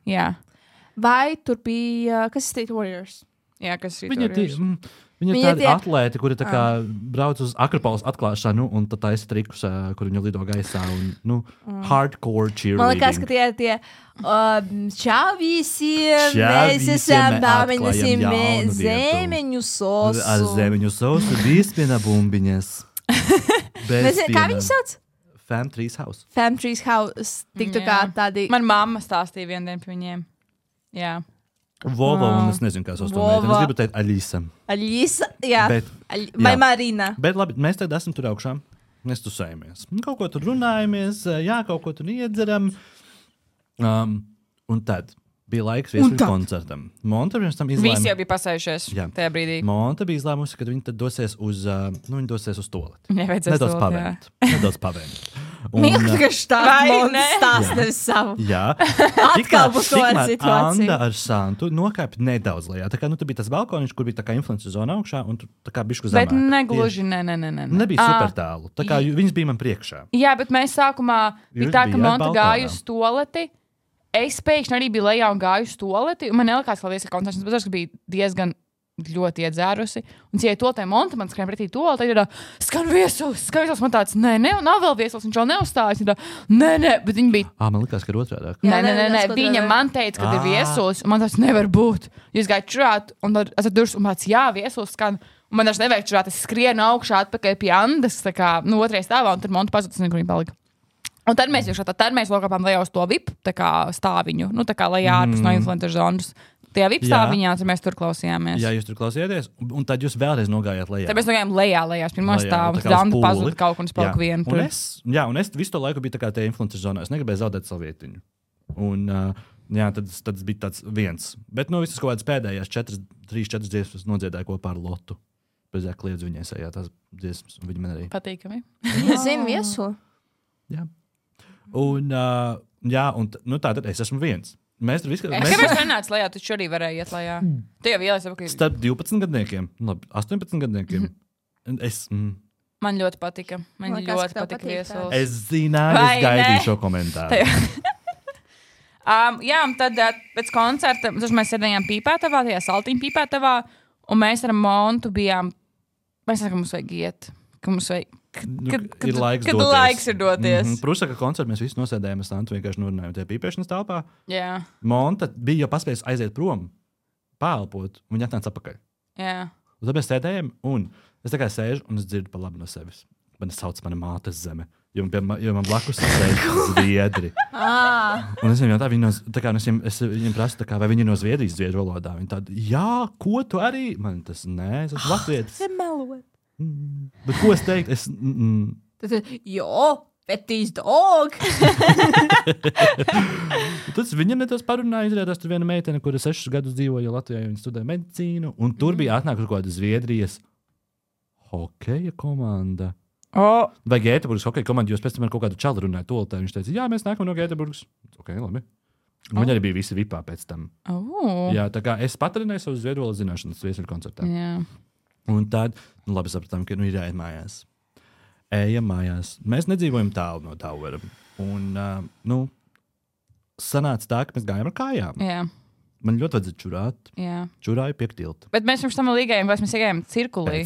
jā. Vai tur bija, kas ir Street Warriors? Jā, kas ir Street Warriors? Viņa ir tāda atlēti, kuri brauc uz Akropolis atklāšanu un tad taisa trikus, kur viņa lido gaisā. Hardcore cheerleading. Man liekas, ka tie čau visiem, mēs esam pamēģināsim zemeņu sosu. Ar zemeņu sosu bispina bumbiņas. Kā viņi sauc? Fam Trees House. Fam Trees House. Tiktu kā tādi. Man mamma stāstīja vienu dienu par viņiem. Jā. Vova, un es nezinu, kā sauc to meiteni. Es gribu teikt Aļisa. Aļisa, jā. Vai Marina. Bet labi, mēs tagad esam tur augšā. Mēs tusējamies. Kaut ko tur runājamies, kaut ko tur iedzeram. Un tad bija laiks viesuļu koncertam. Monta pirms tam izlēma. Visi jau bija pasējušies tajā brīdī. Monta bija izlēmusi, ka viņi tad dosies uz toleti. Nedaudz pavēmt. Mīlīgi, ka stāsts nevis savu. Jā. Atkal būs to ar situāciju. Anda ar Santu nokāpa nedaudz lejā. Tā kā tur bija tas balkoniņš, kur bija tā kā influencer zona augšā, un tur tā kā bišku zemāk. Bet negluži, Nebija super tālu. Tā kā viņas bija man priekšā. Jā, bet mēs sākumā bija tā, ka Monta gāja uz toleti. Es pēkšņi arī biju lejā un gāju uz toleti. Man nelikās, ka viesuļu koncerts, bet tas bija diezgan ļoti iedzērusi. Un, ja to te Monta man skrēja pretī toleti, tad ir skan viesulis. Man tāds, nē, nav vēl viesulis, viņš vēl neuzstājas. Nē, bet viņi bija. Man likās, ka ir otrādāk. Nē, viņa man teica, ka ir viesulis, un man tas nevar būt. Jūs gājat čurāt, un tad es durvis, un tāds, jā, viesulis skan. Un man tas nevajag čurāt, es skrienu augšā atpakaļ pie Andas, tā kā, otrajā stāvā, un tad Monta pazudus, un kur viņa palika. Un tad mēs lokāpām lejā uz to VIP stāviņu, tā kā lejā ārpus no influencer zonas. Tajā VIP stāviņā, tad mēs tur klausījāmies. Jā, jūs tur klausījāties, un tad jūs vēlreiz nogājāt lejā. Tad mēs nogājām lejā, pirmā stāvā, un tad Anda pazuda kaut kur un es paliku vienu tur. Un es visu to laiku biju tā kā tajā influencer zonā, es negribēju zaudēt savu vietiņu. Un Jā, tad tas bija tāds viens. Bet visas kaut kādas pēdējās 3-4 dziesmas nodziedāja kopā ar Lotu. Bez kliedz viņai sajā tās dziesmas, un viņi man arī. Patīkami. Es zinu viesu. Jā. Un, tātad es esmu viens. Mēs tur viskā... Kāpēc nenāc lejā? Tu arī varēji iet lejā. Tu jau ielēsi apakaļ. Starp 12 gadniekiem, 18 gadniekiem. Man ļoti patika. Man ļoti patika viesulis. Es zināju, es gaidīju šo komentāru. Jā, un tad pēc koncerta mēs sēdējām Pīpētavā, tajā saltiņa Pīpētavā, un mēs ar Montu bijām, mēs sakām, ka mums vajag iet, ka mums vajag, ir laiks doties. Laiks ir doties. Prusaka koncertu mēs visi nosēdējām, mēs Santu vienkārši norunājām tajā pīpēšanas telpā. Jā. Monta bija jau paspējis aiziet prom, pāelpot, un viņa atnāca atpakaļ. Jā. Un tad mēs sēdējām, un es tā kā sēžu, un es dzirdu pa labi no sevis. Man sauc mana mātes zeme. Jo man blakus sēž zviedri. Un es viņiem jautāju, es viņiem prasu, vai viņi ir no Zviedrijas zviedru valodā. Viņi tādi, jā, ko tu arī? Man tas nē, es esmu latvietis. Bet ko es teiktu? Jo, Betty's dog. Tad viņam netos parunāja, izrādās tur viena meitene, kura 6 gadus dzīvoja Latvijā, viņa studēja medicīnu, un tur bija atnākusi kaut kāda Zviedrijas hokeja komanda. Vai Gēteburgas hokeja komanda, jūs pēc tam ar kaut kādu čalu runāja toltē, viņš teica, jā, mēs nākam no Gēteburgas. Ok, labi. Viņi arī bija visi vipā pēc tam. Jā, tā kā es patrenēju savu zviedru valodas zināšanas viesuļu koncertā. Jā. Un tad, labi sapratām, ka ir jāiet mājās. Ejam mājās. Mēs nedzīvojam tālu no Tauera. Un, sanāca tā, ka mēs gājām ar kājām. Jā. Man ļoti vajadzēja čurāt. Jā. Čurāju pie tilta. Bet mēs pirms tam līgājām, vai mēs iegājām cirkulī?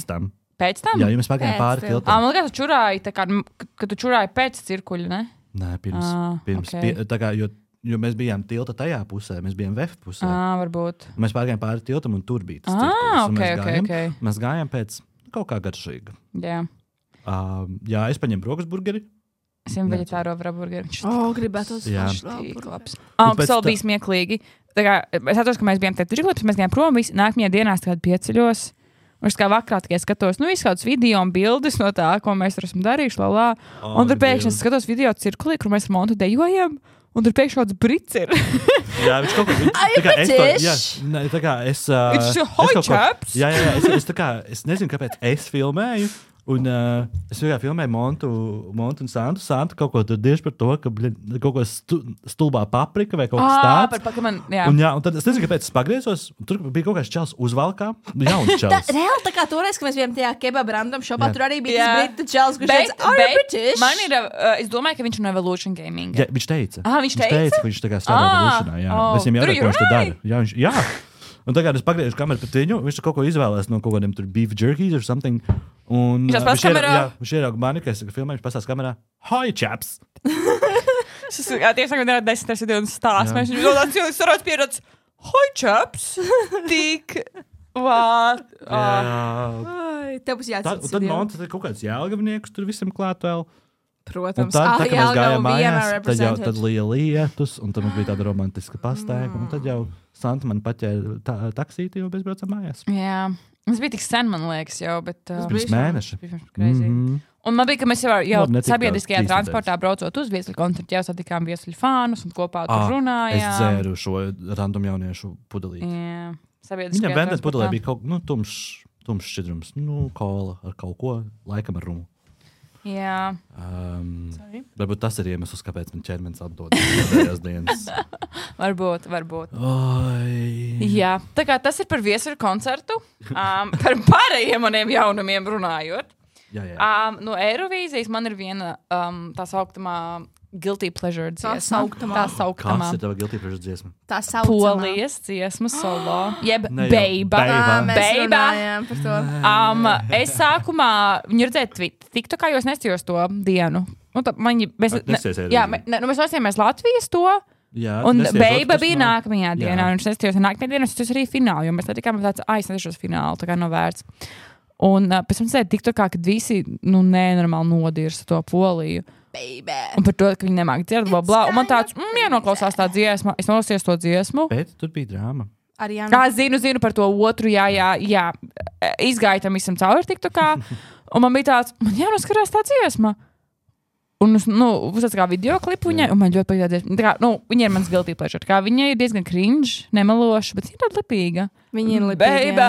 Pēc tam? Jā, mēs pagājām pāri tiltam. Man liekas, tu čurāji, ka tu čurāji pēc cirkuļa, ne? Nē, pirms okay. Tā kā, jo mēs bijām tilta tajā pusē, mēs bijām VF pusē. Varbūt. Mēs pārgājām pāri tiltam, un tur bija tas cirkulis. Okay. Mēs gājām pēc kaut kā garšīga. Jā. Jā, es paņēmu brokas burgeri. Es viņam veģetāro burgeri. Gribētu uz labs. Tas vēl bija smieklīgi. Tā kā, es atceros, ka mēs bijām te cirkulī, mēs gājām prom, nākamajā dienā pieceļos. Un es kā vakarā tikai skatos, visu kādus video un bildes no tā, ko mēs tur esam darījuši, un tur pēkšņi es skatos video cirkulī, kur mēs ar Montu dejojam, un tur pēkšņi kāds brits ir. Jā, viņš kaut kā, es nezinu, kāpēc es filmēju. Un es vienkārši filmēju Montu un Santu. Santu kaut ko tur tieši par to, ka kaut ko stulbā paprika vai kaut kas tāds. Un tad es nezinu, kāpēc es pagriezos. Tur bija kaut kāds čels uzvalkā. Jauns čels. Reāli tā kā toreiz, kad mēs bijām tajā kebab random shopā, tur arī bija tas brita čels, kurš teica, British. Man ir, es domāju, ka viņš ir no Evolution Gaming. Jā, viņš teica. Viņš teica? Ka viņš tā kā strādā Evolutionā. Jā. Es viņam jautāju, ko viņš tur dara. Jā. Un tagad es pagriežu kameru pret viņu, viņš kaut ko izvēlēs no kaut kādiem tur beef jerkies or something. Un viņš ierauga mani, ka es filmēju, viņš pasās kamerā, hi, chaps! Tieši tagad ir 10 sekundes stāsts. Mēs viņu domājam, cilvēks sarāds pierādz, hi, chaps! Tik, what? Tev būs jāatcerās. Un tad Monta kaut kāds Jelgavnieks tur visam klāt vēl. Protams. Un tad, kad mēs gājām mājās, tad lija lietus, un tad mums bija tāda romantiska pastaiga, un tad jau Santa man paķēra taksīti, jo mēs braucam mājās. Jā. Tas bija tik sen, man liekas, jau, bet... Pirms mēneša. Un man bija, ka mēs jau sabiedriskajā transportā braucot uz viesuļu koncertu, jau satikām viesuļu fānus un kopā tur runājām. Es dzēru šo random jauniešu pudelīti. Jā. Sabiedriskajā Viņam vendēt pudelē bija kaut tumšs šķidrums. Kola ar kaut ko, laikam ar rumu. Jā. Varbūt tas ir iemesls, kāpēc man ķermenis atdod pēdējās dienas. Varbūt. Oi. Jā, tā kā tas ir par viesuļu koncertu. Par pārējiem maniem jaunumiem runājot. Jā. No Eirovīzijas man ir viena tā sauktamā Guilty Pleasure dziesma. Tā sauktamā. Kas ir tava Guilty Pleasure dziesma? Tā saucamā. Polijas dziesma solo. Jeb Beiba. Es sākumā viņu redzēju TikTokā, jo es nestījos to dienu. Mēs lasījāmies Latvijas to. Jā, un Beiba bija nākamajā dienā. Un es nestījos nākamajā dienā, es arī finālu, jo mēs netikām tāds, es nestījos finālu, tā kā nav vērts. Un pēc tam redzēju TikTokā, kad visi nenormāli nodirsa to Poliju. Baby. Un par to, ka viņi nemāk dzirdēt, bla. Un man tāds, jānoklausās tā dziesma. Es nolasījos to dziesmu. Bet tur bija drāma. Zinu par to otru, jā. Izgāju tam visam cauri TikTokā. Un man bija tāds, man jānoskarās tā dziesma. Un uzsāc kā video klipu viņai, un man ļoti patīk. Viņa ir mans guilty pleasure. Viņa ir diezgan cringe, nemeloša, bet viņa ir tāda lipīga. Viņa ir lipīga.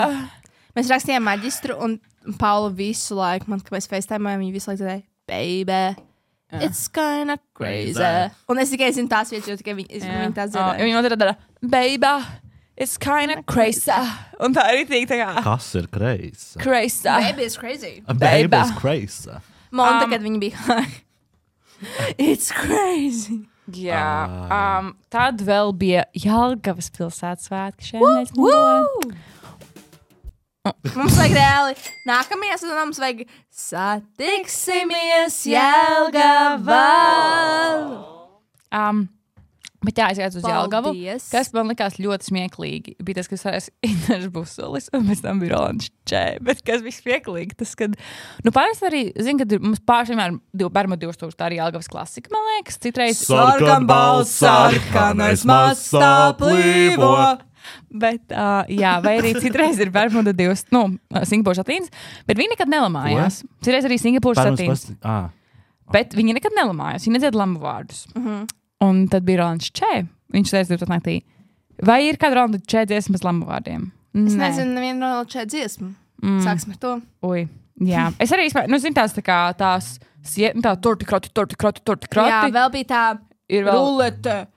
Mēs rakstījām maģistru, un Paula visu laiku, kad mēs FaceTimējām, viņa visu laiku tādēļ, baby, it's kinda crazy. Un es tikai zinu tās vietas, jo tikai viņa tās dzirdēja. Viņa otrā dara, baby, it's kinda crazy. Un tā ir rītīgi tā kā. Kas ir crazy? Crazy. Baby is crazy. Baby is crazy. Monta, kad viņa bija it's crazy. Jā. Tad vēl bija Jelgavas pilsētas svētki šeit. Mums vajag reāli. Nākamajā sezonā mums vajag satiksimies Jelgavā. Bet jā, es gāju uz Jelgavu, kas man likās ļoti smieklīgi. Bija tas, kas varēs Interes Busolis, un pēc tam bija Rolands Čē. Bet kas bija smieklīgi, tas, kad... Pārēc arī, zinu, kad mums pāršiem Bermu 2000, tā arī Jelgavas klasika, man liekas. Citreiz... Sarkanbalts, sarkanais mastā plīvo. Bet, jā, vai arī citreiz ir Bermuda 2, Singapūras satīns, bet viņi nekad nelamājās. Citreiz arī Singapūras satīns. Bet viņi nekad nelamājās, viņi nedzied lamu vārdus. Un tad bija Rolands Čē. Viņš teica 12 naktī. Vai ir kāda Rolanda Čē dziesma bez lamu vārdiem? Es nezinu, nevienu Rolanda Čē dziesmu. Sāksim ar to. Ui, jā. Es arī, zinu, tās tā kā tās, tā torti kroti. Jā, vēl bija tā rulete.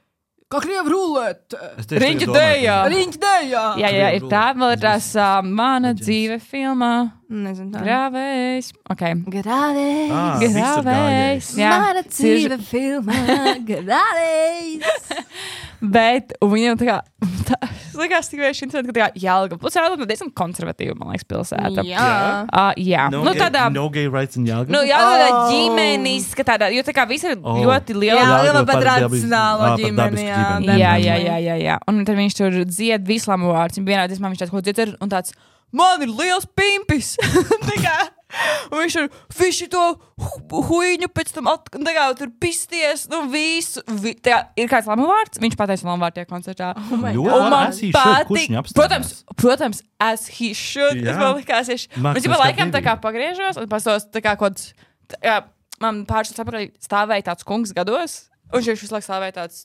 Kā krievu rulete. Riņķa dējā. Jā, ir tā. Vēl ir tās mana dzīve filmā. Nezinu tā. Grāvējs. Ok. Grāvējs. Mana dzīve filmā. Grāvējs. Bet, un viņam tā kā, es likās tik vienši interesanti, ka tā kā Jelgava. Plus Jelgava diezgan konservatīva, man liekas, pilsēta. Jā. No gay rights in Jelgava? Jelgava ģimenis, ka tādā, jo tā kā visi ir ļoti liela. Jelgava par tradicionālo ģimeni, jā. Un tad viņš tur dzied vislamu vārds. Vienā dziesmā viņš tāds, ko dzied, un tāds, man ir liels pimpis. Tā kā. Un viņš tur fiši to huiņu pēc tam tur pisties, visu. Ir kāds lamu vārds, viņš pateica lamu vārdu tajā koncertā. Un man patīk. Protams, as he should. Es man likās, es laikam tā kā pagriežos, un pastos tā kā kods, man pāršas apakaļ stāvēja tāds kungs gados, un viņš visu laiku stāvēja tāds.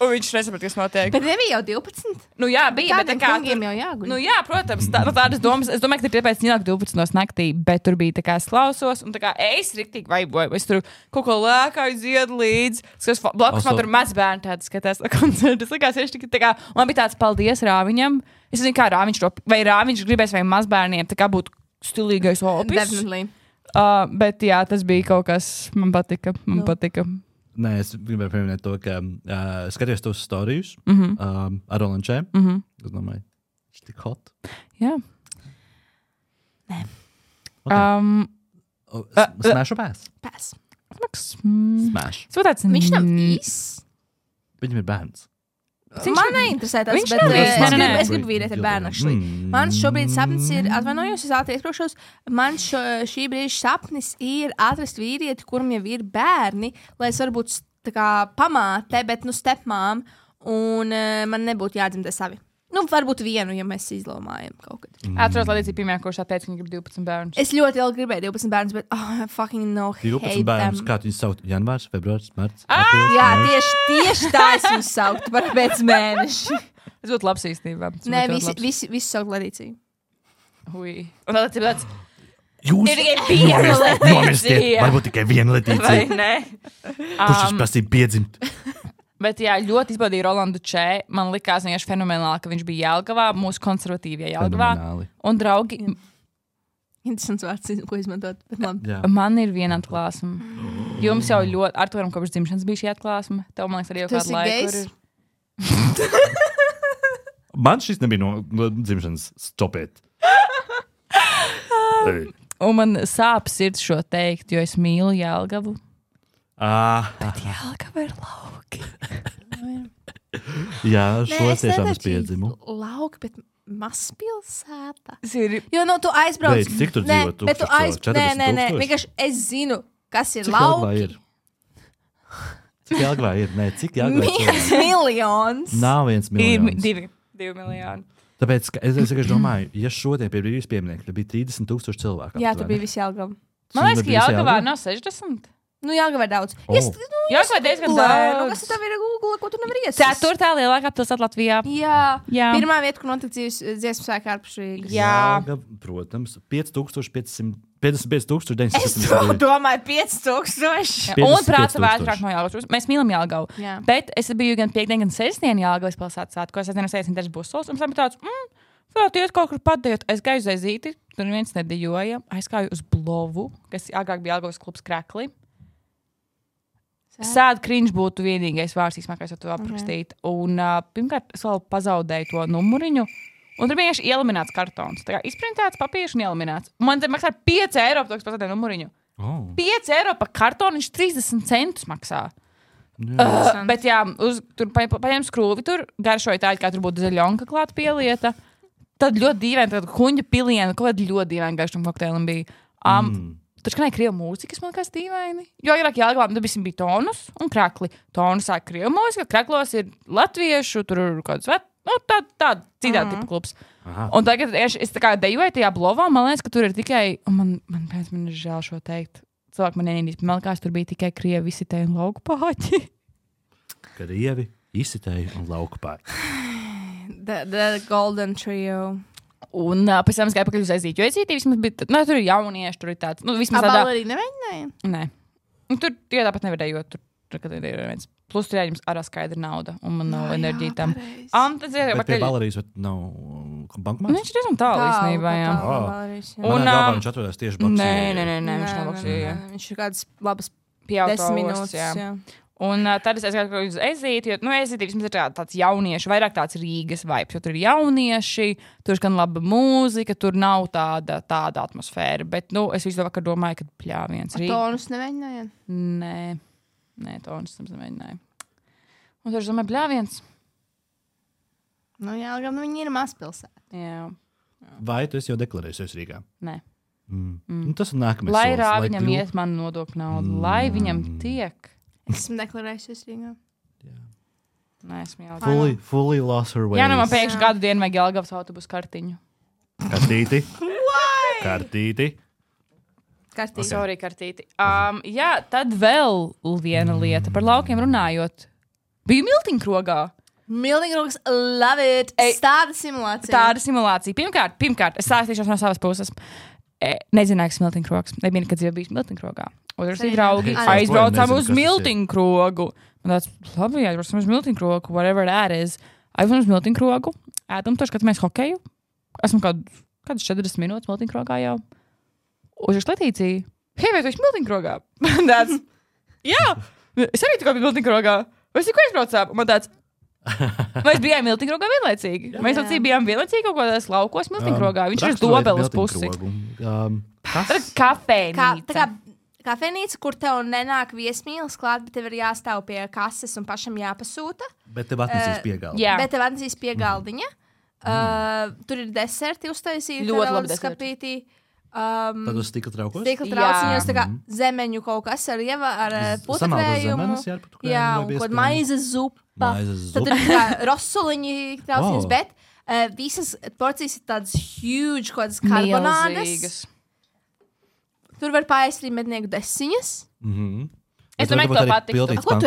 Un viņš nesaprata, kas notiek. Bet nebija jau 12? Jā, bija. Tādiem kungiem jau jāguļ. Jā, protams. Tādas domas. Es domāju, ka tur tāpēc nāk 12 naktī, bet tur bija tā kā es klausos, un tā kā es riktīgi vaiboju. Es tur kaut ko lēkāju, dziedu līdzi. Blakus man tur mazbērni tādi skatās no koncerta. Es likās, es tā kā, man bija tāds paldies Rāviņam. Es nezinu, kā Rāviņš to, vai Rāviņš gribēs vai mazbērniem, tā kā būtu stilīgais opis. Definitely. Bet jā, tas bija kaut kas, man patika. Nē, es gribēju pieminēt to, ka skatījos tos storijus ar Rolandu Čē. Es domāju, viņš tik hot. Jā. Nē. Smash or pass? Pass. Smash. Viņš nav īss. Viņam ir bērns. Man neinteresē tas, bet es gribu vīrieti ar bērnu. Man šobrīd sapnis ir, atvainojos, es ātri iesprošos, man šī brīža sapnis ir atrast vīrieti, kuram jau ir bērni, lai es varu būt tā kā pamāte, bet stepmām, un man nebūtu jādzimdē savi. Varbūt vienu, ja mēs izdomājam kaut kad. Atceros, Ladīcija pirmajā kursā teica, ka viņa grib 12 bērnus. Es ļoti ilgi gribēju 12 bērnus, bet fucking no hate 12 bērnus, kā tu viņus saukt? Janvārs, februārs, marts? Jā, tieši tā es viņus sauktu par pēc mēneši. Tas būtu labs īstenībā. Nē, visi saukt Ladīciju. Ui. Un Ladīcija tāds... Jūs ir tikai viena Ladīcija. Varbūt tikai viena Ladīcija. Vai ne? Kurš viņš prasīja piedzimt? Bet jā, ļoti izbaudīja Rolandu Čē. Man likās vienkārši fenomenāli, ka viņš bija Jelgavā, mūsu konservatīvajā Jelgavā. Un draugi... Interesants vārds, ko izmantot. Man ir viena atklāsme. Jums jau ļoti... Arturam kopš dzimšanas bija šī atklāsme. Tev, man liekas, arī jau kādu laiku ir... Man šis nebija no dzimšanas. Stop it. Un man sāp sirds šo teikt, jo es mīlu Jelgavu. Bet Jelgava ir lauki. Jā, šo tiešām es piedzimu. Lauki, bet mazpilsēta. Jo, tu aizbrauc. Beidz, cik tur dzīvo? Bet tu aizbrauc. Nē. Vienkārši es zinu, kas ir lauki. Cik Jelgavā ir? Nē, cik Jelgavā ir? 1 miljons. Nav 1 miljons. 2 miljoni. Tāpēc, es domāju, ja šodien pie brīvības pieminieku, tad bija 30,000 cilvēku. Jā, tur bija visi Jelgava. Man liekas, ka Jelgavā nav 60. Nu, Jelgava ir daudz. Jelgava ir diezgan daudz. Kas tev ir Google, ko tu nevari iesist? 4. lielākā pilsēta Latvijā. Jā. Pirmā vieta, kur notika dziesmu svēki ārpus Rīgas. Jā. Protams, 55,970. Domāju, 5,000. Un prāta vētrāk no Jelgavas. Mēs mīlam Jelgavu. Bet es biju gan piekdien, gan sestdien Jelgavas pilsētas svētkos. Es dienas aizsinu dažs busos. Un tam tāds, varētu iet kaut kur padējot. Es gāju uz Ezīti, tur neviens nedejoja. Aizgāju uz Blovu, kas agrāk bija Jelgavas klubs Krekli. Sēd cringe būtu vienīgais vārds, kā es to aprakstītu. Un pirmkārt, es vēl pazaudēju to numuriņu. Un tur bija vienkārši eliminēts kartons. Tā kā izprintēts papīrs un eliminēts. Man te maksā 5 eiro par to, kas pazaudēju numuriņu. 5 eiro par kartonu, viņš 30 centus maksā. Bet jā, tur paņem skrūvi, tur garšoja tā, kā tur būtu zaļonka klāt pielieta. Tad ļoti dīvaini, tad kuņģa piliena, kaut kāda ļoti dīvaini garšam kokteilim bija. Tur skanēja krievu mūzika, kas man kāds dīvaini. Jo agrāk Jelgavā bija Tonus un Krekli. Tonus sāk krievu mūzika, Kreklos ir latviešu, tur ir kāds tāda citāda tipa klubs. Un tagad es tā kā dejoju tajā Blovā, man liekas, ka tur ir tikai, un man ir žēl šo teikt, cilvēki man nenīdīs, bet man liekas, tur bija tikai krievi izsitēji un lauku pāķi. Krievi, izsitēji un lauku pāķi. The Golden Trio. Un pēc tam es gāju pakaļ uz Ezīti, jo Ezītī vismaz bija, tur ir jaunieši, tur ir tāds, vismaz tādā. Arī nemēģināja? Nē. Tur tie tāpat nevarēja, jo tur ir viens. Plus tur jāņems arā skaidra nauda, un man nav enerģija tam. Bet pie balerijas nav bankomāts? Viņš ir diezgan tālu īstenībā, jā. Un viņš atrodās tieši boksī. Nē, viņš nav boksī, jā. Viņš ir kādas labas 10 minūtes, jā. Un tad es gāju uz Ezīti, jo, Ezīti vismaz ir tāds jaunieši, vairāk tāds Rīgas vibes, jo tur ir jaunieši, tur skan laba mūzika, tur nav tāda atmosfēra, bet, es visu vakar domāju, ka pļāviens Rīga. Tonus neveņināja? Nē, Tonus neveņināja. Un tur es domāju, pļāviens. Jā, gan viņi ir mazpilsēta. Jā. Vai tu esi jau deklarējusies Rīgā? Nē. Tas ir nākamais lai solis. Lai viņam iet man nodokļu naudu, lai viņam tiek. Esmu deklarējusies Rīgā. Nē, esmu jau. Fully lost her ways. Jā, man pēkšņi gadu dienu vajag Jelgavas autobusu kartiņu. Kartīti. Sorry, kartīti. Jā, tad vēl viena lieta par laukiem runājot. Biju Miltiņkrogā. Miltiņkrogs, love it. Tāda simulācija. Pirmkārt, es sāstīšos no savas puses. Nezināju, kas Miltiņkrogs. Nebija nekad dzīvē bijis Miltiņkrogā. Otrs ir draugi. Aizbraucām uz Miltiņkrogu. Man tāds, labi, aizbraucām uz Miltiņkrogu, whatever that is. Aizbraucām uz Miltiņkrogu. Ēdam to, skatāmies hokeju. Esmu kādas 40 minūtes Miltiņkrogā jau. Uz Letīciju. Hei, vai tu esi Miltiņkrogā? Man tāds, jā, es arī tikko biju Miltiņkrogā. Vai es tikko aizbraucām? Man tāds, mēs bijām Miltiņkrogā vienlaicīgi. Mēs bijām vienlaicīgi kaut kādās laukos Miltiņkrogā. Viņš ir uz Dobeles pusi. Kafejnīca. Kafejnīca, kur tev nenāk viesmīlis klāt, bet tev ir jāstāv pie kases un pašam jāpasūta. Bet tev atnesīs piegaldiņa. Tur ir deserti uztaisīti. Ļoti labi deserti. Tad uz stikla traukos? Stikla trauciņos, tā kā zemeņu kaut kas ar putekļējumu. Jā, un kaut maizes zupa. Tad ir kā rosuliņi trauciņos, bet visas porcijas ir tādas huge, kaut kādas karbonādas. Tur var paēst arī mednieku desiņas. Es domāju, ka tev patīk. Ko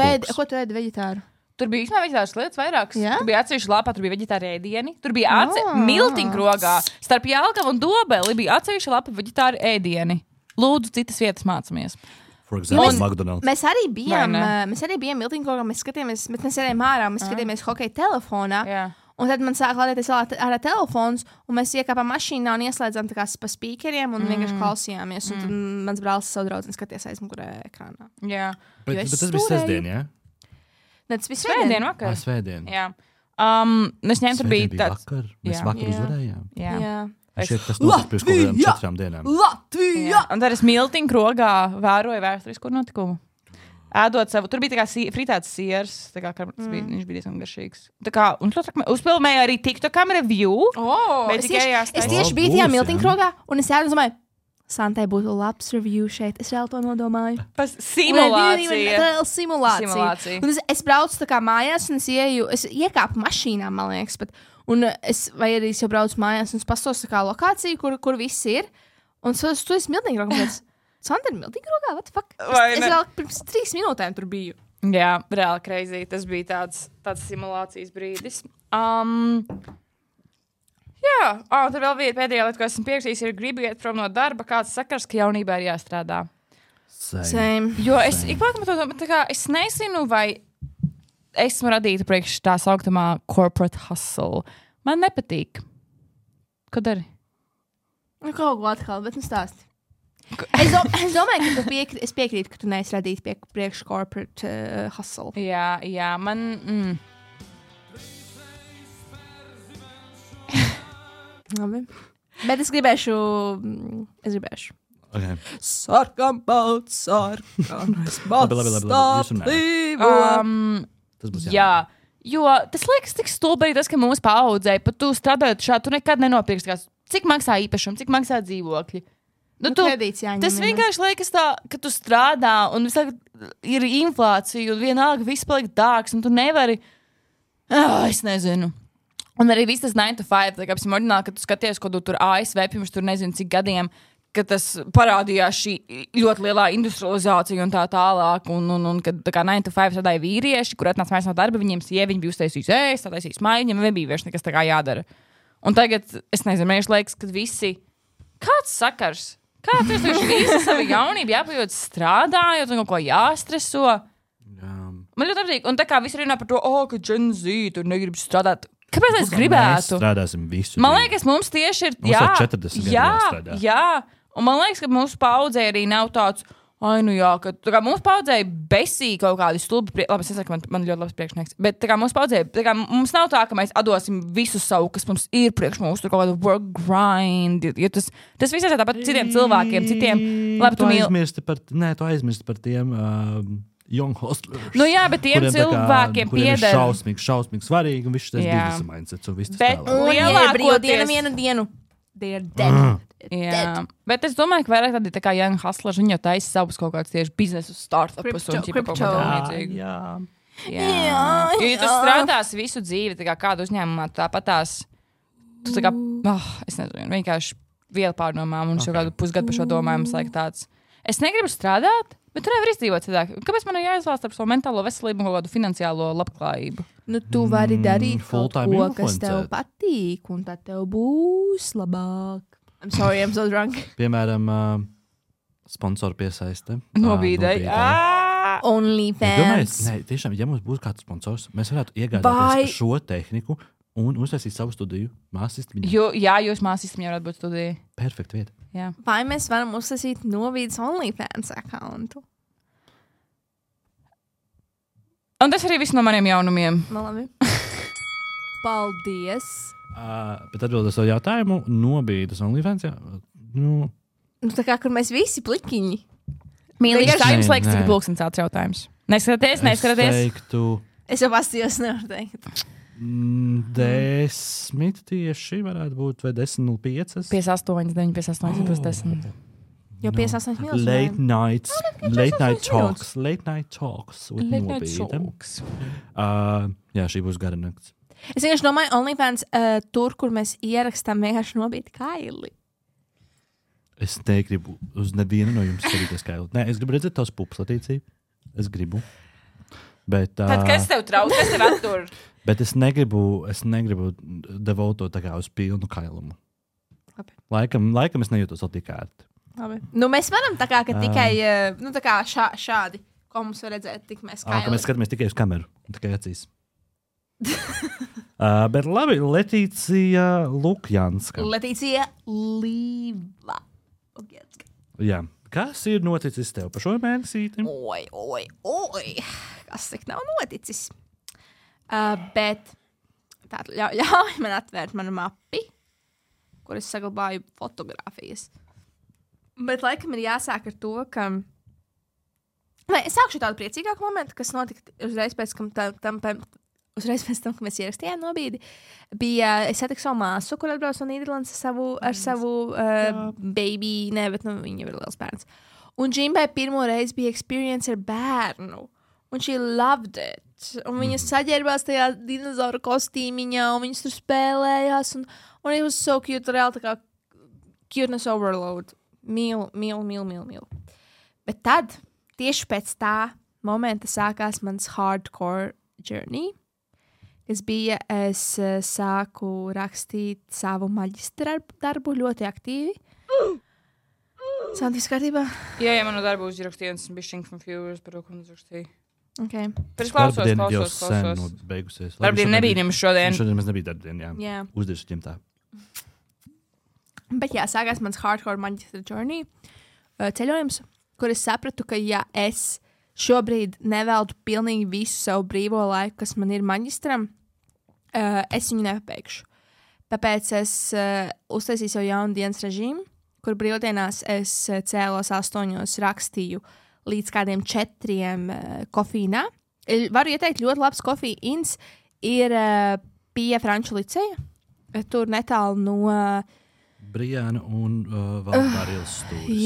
tu ēdi veģetāru? Tur bija īstenībā veģetāras lietas vairākas. Yeah? Tur bija atsevišķi lapā, tur bija veģetāri ēdieni. Tur bija Miltiņkrogā. Starp Jelgavu un Dobeli bija atsevišķi lapa veģetāri ēdieni. Lūdzu, citas vietas mācāmies. Mēs arī bijām Miltiņkrogā, mēs skatījāmies, bet mēs ejam ārā, mēs skatījāmies hokeja telefonā. Yeah. Un tad man sāk lādēties ārā telefons, un mēs iekāpām mašīnā un ieslēdzām tā kā pa spīkeriem un vienkārši klausījāmies. Un tad mans brālis savu draudzeni skatījās aizmugurē ekrānā. Jā. Bet tas bija sestdien, jā? Ne, tas bija svētdien vakar. Svētdien. Jā. Es ņēmu, tur bija tāds. Mēs vakar uzvarējām. Jā. Tas notika pirms kaut kādām 4 dienām. Latvija! Un tad es Miltiņkrogā vēroju vēsturisku notikumu. Ēdot savu, tur bija tā kā fritēts siers, tā kā viņš bija diezgan garšīgs. Tā kā, un uzpilmēja arī TikTokam review. Es tieši biju tajā Miltiņkrogā, un es ēdu un domāju, Santai būtu labs review šeit. Es vēl to nodomāju. Simulācija. Un es braucu tā kā mājās, un es iekāpu mašīnā, man liekas, vai arī es jau braucu mājās, un es pastos tā kā lokāciju, kur viss ir. Un tu esi Miltiņkrogā. Sandra Miltiņa rokā, what the fuck? Es vēl pirms 3 minūtēm tur biju. Jā, reāli crazy. Tas bija tāds simulācijas brīdis. Jā, tad vēl viena pēdējā lieta, ko esmu pierakstījis, ir gribu iet prom no darba, kāds sakars, ka jaunībā ir jāstrādā. Same. Jo es es nezinu, vai esmu radīta priekš tā sauktamā corporate hustle. Man nepatīk. Ko dari? Kaut ko atkal, bet stāsti. Es domāju, ka es piekrītu, ka tu neesi radīta priekš corporate hustle. Jā, man... Labi. Bet es gribēšu. Okay. Sarkam balts, sarkanais balts. Tas būs jā. Jo tas liekas tik stulbīgi, tas, ka mūsu paaudzē, pat tu strādājot šādi, tu nekad nenopirksi, cik maksā īpašumu, cik maksā dzīvokļi. Tas vienkārši liekas tā, ka tu strādā un ir inflācija un vienalga viss paliek dārgs un tu nevari, es nezinu. Un arī viss tas 9 to 5, tā kā apsim ordināli, ka tu skaties, ko tu tur ASV pirms tur nezinu cik gadiem, ka tas parādījās šī ļoti lielā industrializācija un tā tālāk, un kad tā kā 9 to 5 strādāja vīrieši, kur atnāca mājās no darba, viņiem sieviņi bija uztaisījis ēst, taisījis maiņu, viņiem nebija vairs nekas tā kā jādara. Un tagad, es nezinu, man liekas, ka visi, kāds sakars? Kāds ir visi savu jaunību jāpajūt strādājot un kaut ko jāstreso? Man ļoti patīk, un tā kā visi runā par to, ka Gen Z tur negrib strādāt. Kāpēc es gribētu? Mēs strādāsim visu. Man liekas, mums tieši ir, mums 40 gadu jāstrādā. Jā, un man liekas, ka mūsu paudzē arī nav tāds, ka tā kā mūsu paudzē besī kaut kādi stulbi, labi, es saku, man ļoti labs priekšnieks, bet tā kā mūsu paudzē, tā kā mums nav tā, ka mēs atdosim visu savu, kas mums ir priekš mūsu, tur kaut kādu work grind, jo tas viss ir tāpat citiem cilvēkiem, labi, tu aizmirsti par tiem young hustlers. Nu jā, bet tiem cilvēkiem pieder. Šausmīgi svarīgi, un viss tas biznesa mindsets, un viss tas tālāk. Bet lielākoties... vienu. They are dead. Jā, bet es domāju, ka vairāk tādi tā kā young hustlers, viņi jau taisa savus kaut kādus tieši biznesu startupus un ķipa kaut kā līdzīgu. Jā. Jo tu strādās visu dzīvi, tā kā kādu uzņēmumā, tāpatās, tu tā kā, es nezinu, vienkārši viela pārdomām un šo kādu pusgadu par šo domājumu laik tāds. Es negribu strādāt, bet tu nevar izdzīvot citāk. Kāpēc man ir jāizvēlas ar savu mentālo veselību un kaut kādu finansiālo labklājību? Nu, tu vari darīt kaut ko, kas tev patīk, un tad tev būs labāk. I'm sorry, I'm so drunk. Piemēram, sponsoru piesaiste. Nobīdai. OnlyFans. Tiešām, ja mums būtu kāds sponsors, mēs varētu iegādāties šo tehniku un uztaisīt savu studiju māsistam. Jā, jūs māsistam jau varētu būt studija. Perfekta vieta. Jā. Vai mēs varam uztaisīt Nobīdas OnlyFans accountu? Un tas arī viss no maniem jaunumiem. Labi. Paldies. Bet atbildot savu jautājumu, Nobīdas OnlyFans, jā. Nu, tā kā, kur mēs visi plikiņi. Mīlīgs, kā jums liekas, cik pulkstens tāds jautājums? Neskaties? Es jau pastījos, nevaru teikt. 10 tieši varētu būt, vai 10.05. 58, 9, 58, plus 10. Jo 58 minūtes. Late night talks with Nobīda. Jā, šī būs gara nakts. Es vienkārši domāju, OnlyFans tur, kur mēs ierakstām vienkārši Nobīda kaili. Es negribu uz nevienu no jums skatīties kaili. Nē, es gribu redzēt tavs pupas, Latīcija. Es gribu. Bet, tad kas tev trauc? Kas tev attur? Bet es negribu devotot tā kā uz pilnu kailumu. Laikam es nejūtos vēl tik ērti. Labi. Nu, mēs varam tā kā, ka tikai tā kā šādi, ko mums var redzēt, tik mēs kaili. Ka mēs skatāmies tikai uz kameru, tikai acīs. Bet labi, Letīcija Lukjanska. Letīcija Līva. Jā. Kas ir noticis tev pa šo mēnesīti? Oi. Kas tik nav noticis? Bet tātad ļauj man atvērt manu mapi, kur es saglabāju fotogrāfijas. Bet laikam ir jāsāk ar to, ka... Es sākšu tādu priecīgāku momentu, kas notika uzreiz pēc tam, ka mēs ierakstījām Nobīdi. Es satiku savu māsu, kur atbrauc no Nīderlandes ar savu baby, bet viņa ir liels bērns. Un Džimbai pirmo reizi bija experience ar bērnu. Un she loved it. Un viņa saģērbās tajā dinozauru kostīmiņā, un viņas tur spēlējās. Un it was so cute, reāli tā kā cuteness overload. Mīlu. Bet tad, tieši pēc tā momenta sākās mans hardcore journey, kas bija, es sāku rakstīt savu maģistra darbu ļoti aktīvi. Santīvs kārtībā? Jā, manu darbu uzrakstīju, un esmu bišķiņ confused par to, ko uzrakstīju. Okay. Bet es klausos. Beigusies. Darbdiena nebija nemaz šodien. Šodien mēs nebija darbdiena, jā. Uzdiršu ģimtā. Bet jā, sākās mans hardcore maģistra journey ceļojums, kur es sapratu, ka ja es šobrīd neveltu pilnīgi visu savu brīvo laiku, kas man ir maģistram, es viņu nepabeigšu. Tāpēc es uztaisīju savu jaunu dienas režīmu, kur brīvdienās es cēlos 8, rakstīju līdz kādiem 4 kofīnā. Varu ieteikt ļoti labs kofīns, ir pie Franču liceja, tur netālu no Brijāna un Valbārils stūris.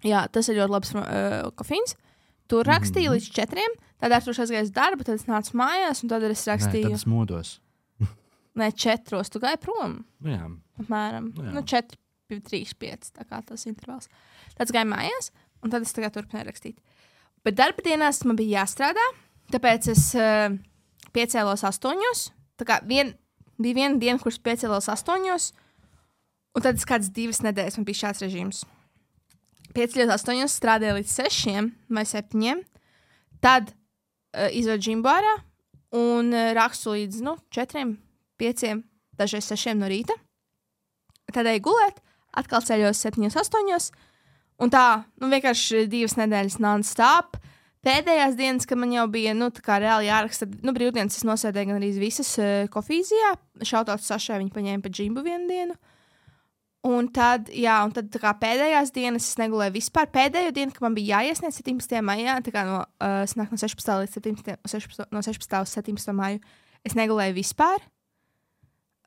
Jā, tas ir ļoti labs kofīns. Tur rakstīju līdz 4, tad ar tur aizgāju uz darbu, tad es nācu mājās, un tad es rakstīju. Nē, tad es modos. Nē, 4, tu gāji prom. Jā. Apmēram. 4, 3, 5, tā kā tas intervals. Tad es gāju mājās, un tad es tagad turpināju rakstīt. Bet darba dienās man bija jāstrādā, tāpēc es piecēlos 8. Tā kā bija viena diena, kuras piecēlos 8, un tad es kādas 2 nedēļas man bija šāds režīms. Piecēlos 8, strādāju līdz 6 vai 7, tad izvedu džimbu ārā un rakstu līdz 4, 5, dažreiz 6 no rīta. Tad eju gulēt, atkal ceļos 7, 8, un tā, vienkārši 2 nedēļas non-stop. Pēdējās dienas, kad man jau bija, tā kā reāli jāraksta, brīvdienas es nosēdēju gan arī visas kofīzijā, šautauts Sašai, viņi paņēma pa džimbu vienu dienu. Un tad tā kā pēdējās dienas es negulēju vispār. Pēdējo dienu, kad man bija jāiesniedz 17. maijā, tā kā no 16. līdz 17. No 16. uz 17. maiju, es negulēju vispār.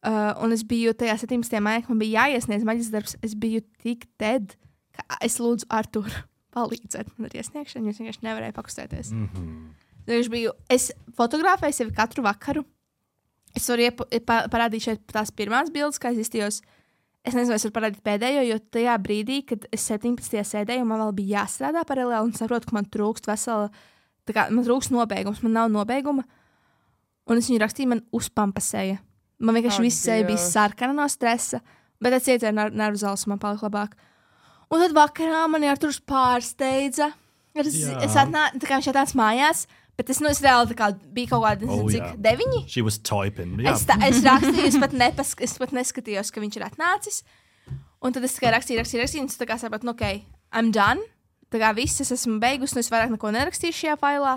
Un es biju tajā 17. maijā, kad man bija jāiesniedz maģistra darbs, es biju tik dead, ka es lūdzu Arturu palīdzēt man ar iesniegšanu, jo es vienkārši nevarēju pakustēties. Es fotografēju sevi katru vakaru. Es varu parādīt šeit tās pirmās bildes, kā es izstījos. Es nezinu, es varu parādīt pēdējo, jo tajā brīdī, kad es 17. sēdēju, man vēl bija jāstrādā paralēli un saprotu, ka man trūkst man trūkst nobeigums, man nav nobeiguma. Un es viņu rakstīju, man uzpampasēja. Man vienkārši viss seja bija sarkana no stresa, bet es iedzēru nervu zāles, man palika labāk. Un tad vakarā mani Arturs pārsteidza. Es atnācu, tā kā viņš atnāca mājās, bet es reāli biju kaut kāda, cik 9? She was typing. Es rakstīju, es pat neskatījos, ka viņš ir atnācis. Un tad es tikai rakstīju, un es tā kā sapratu, I'm done. Tā kā viss, es esmu beigusi, un es vairāk neko nerakstīšu šajā failā.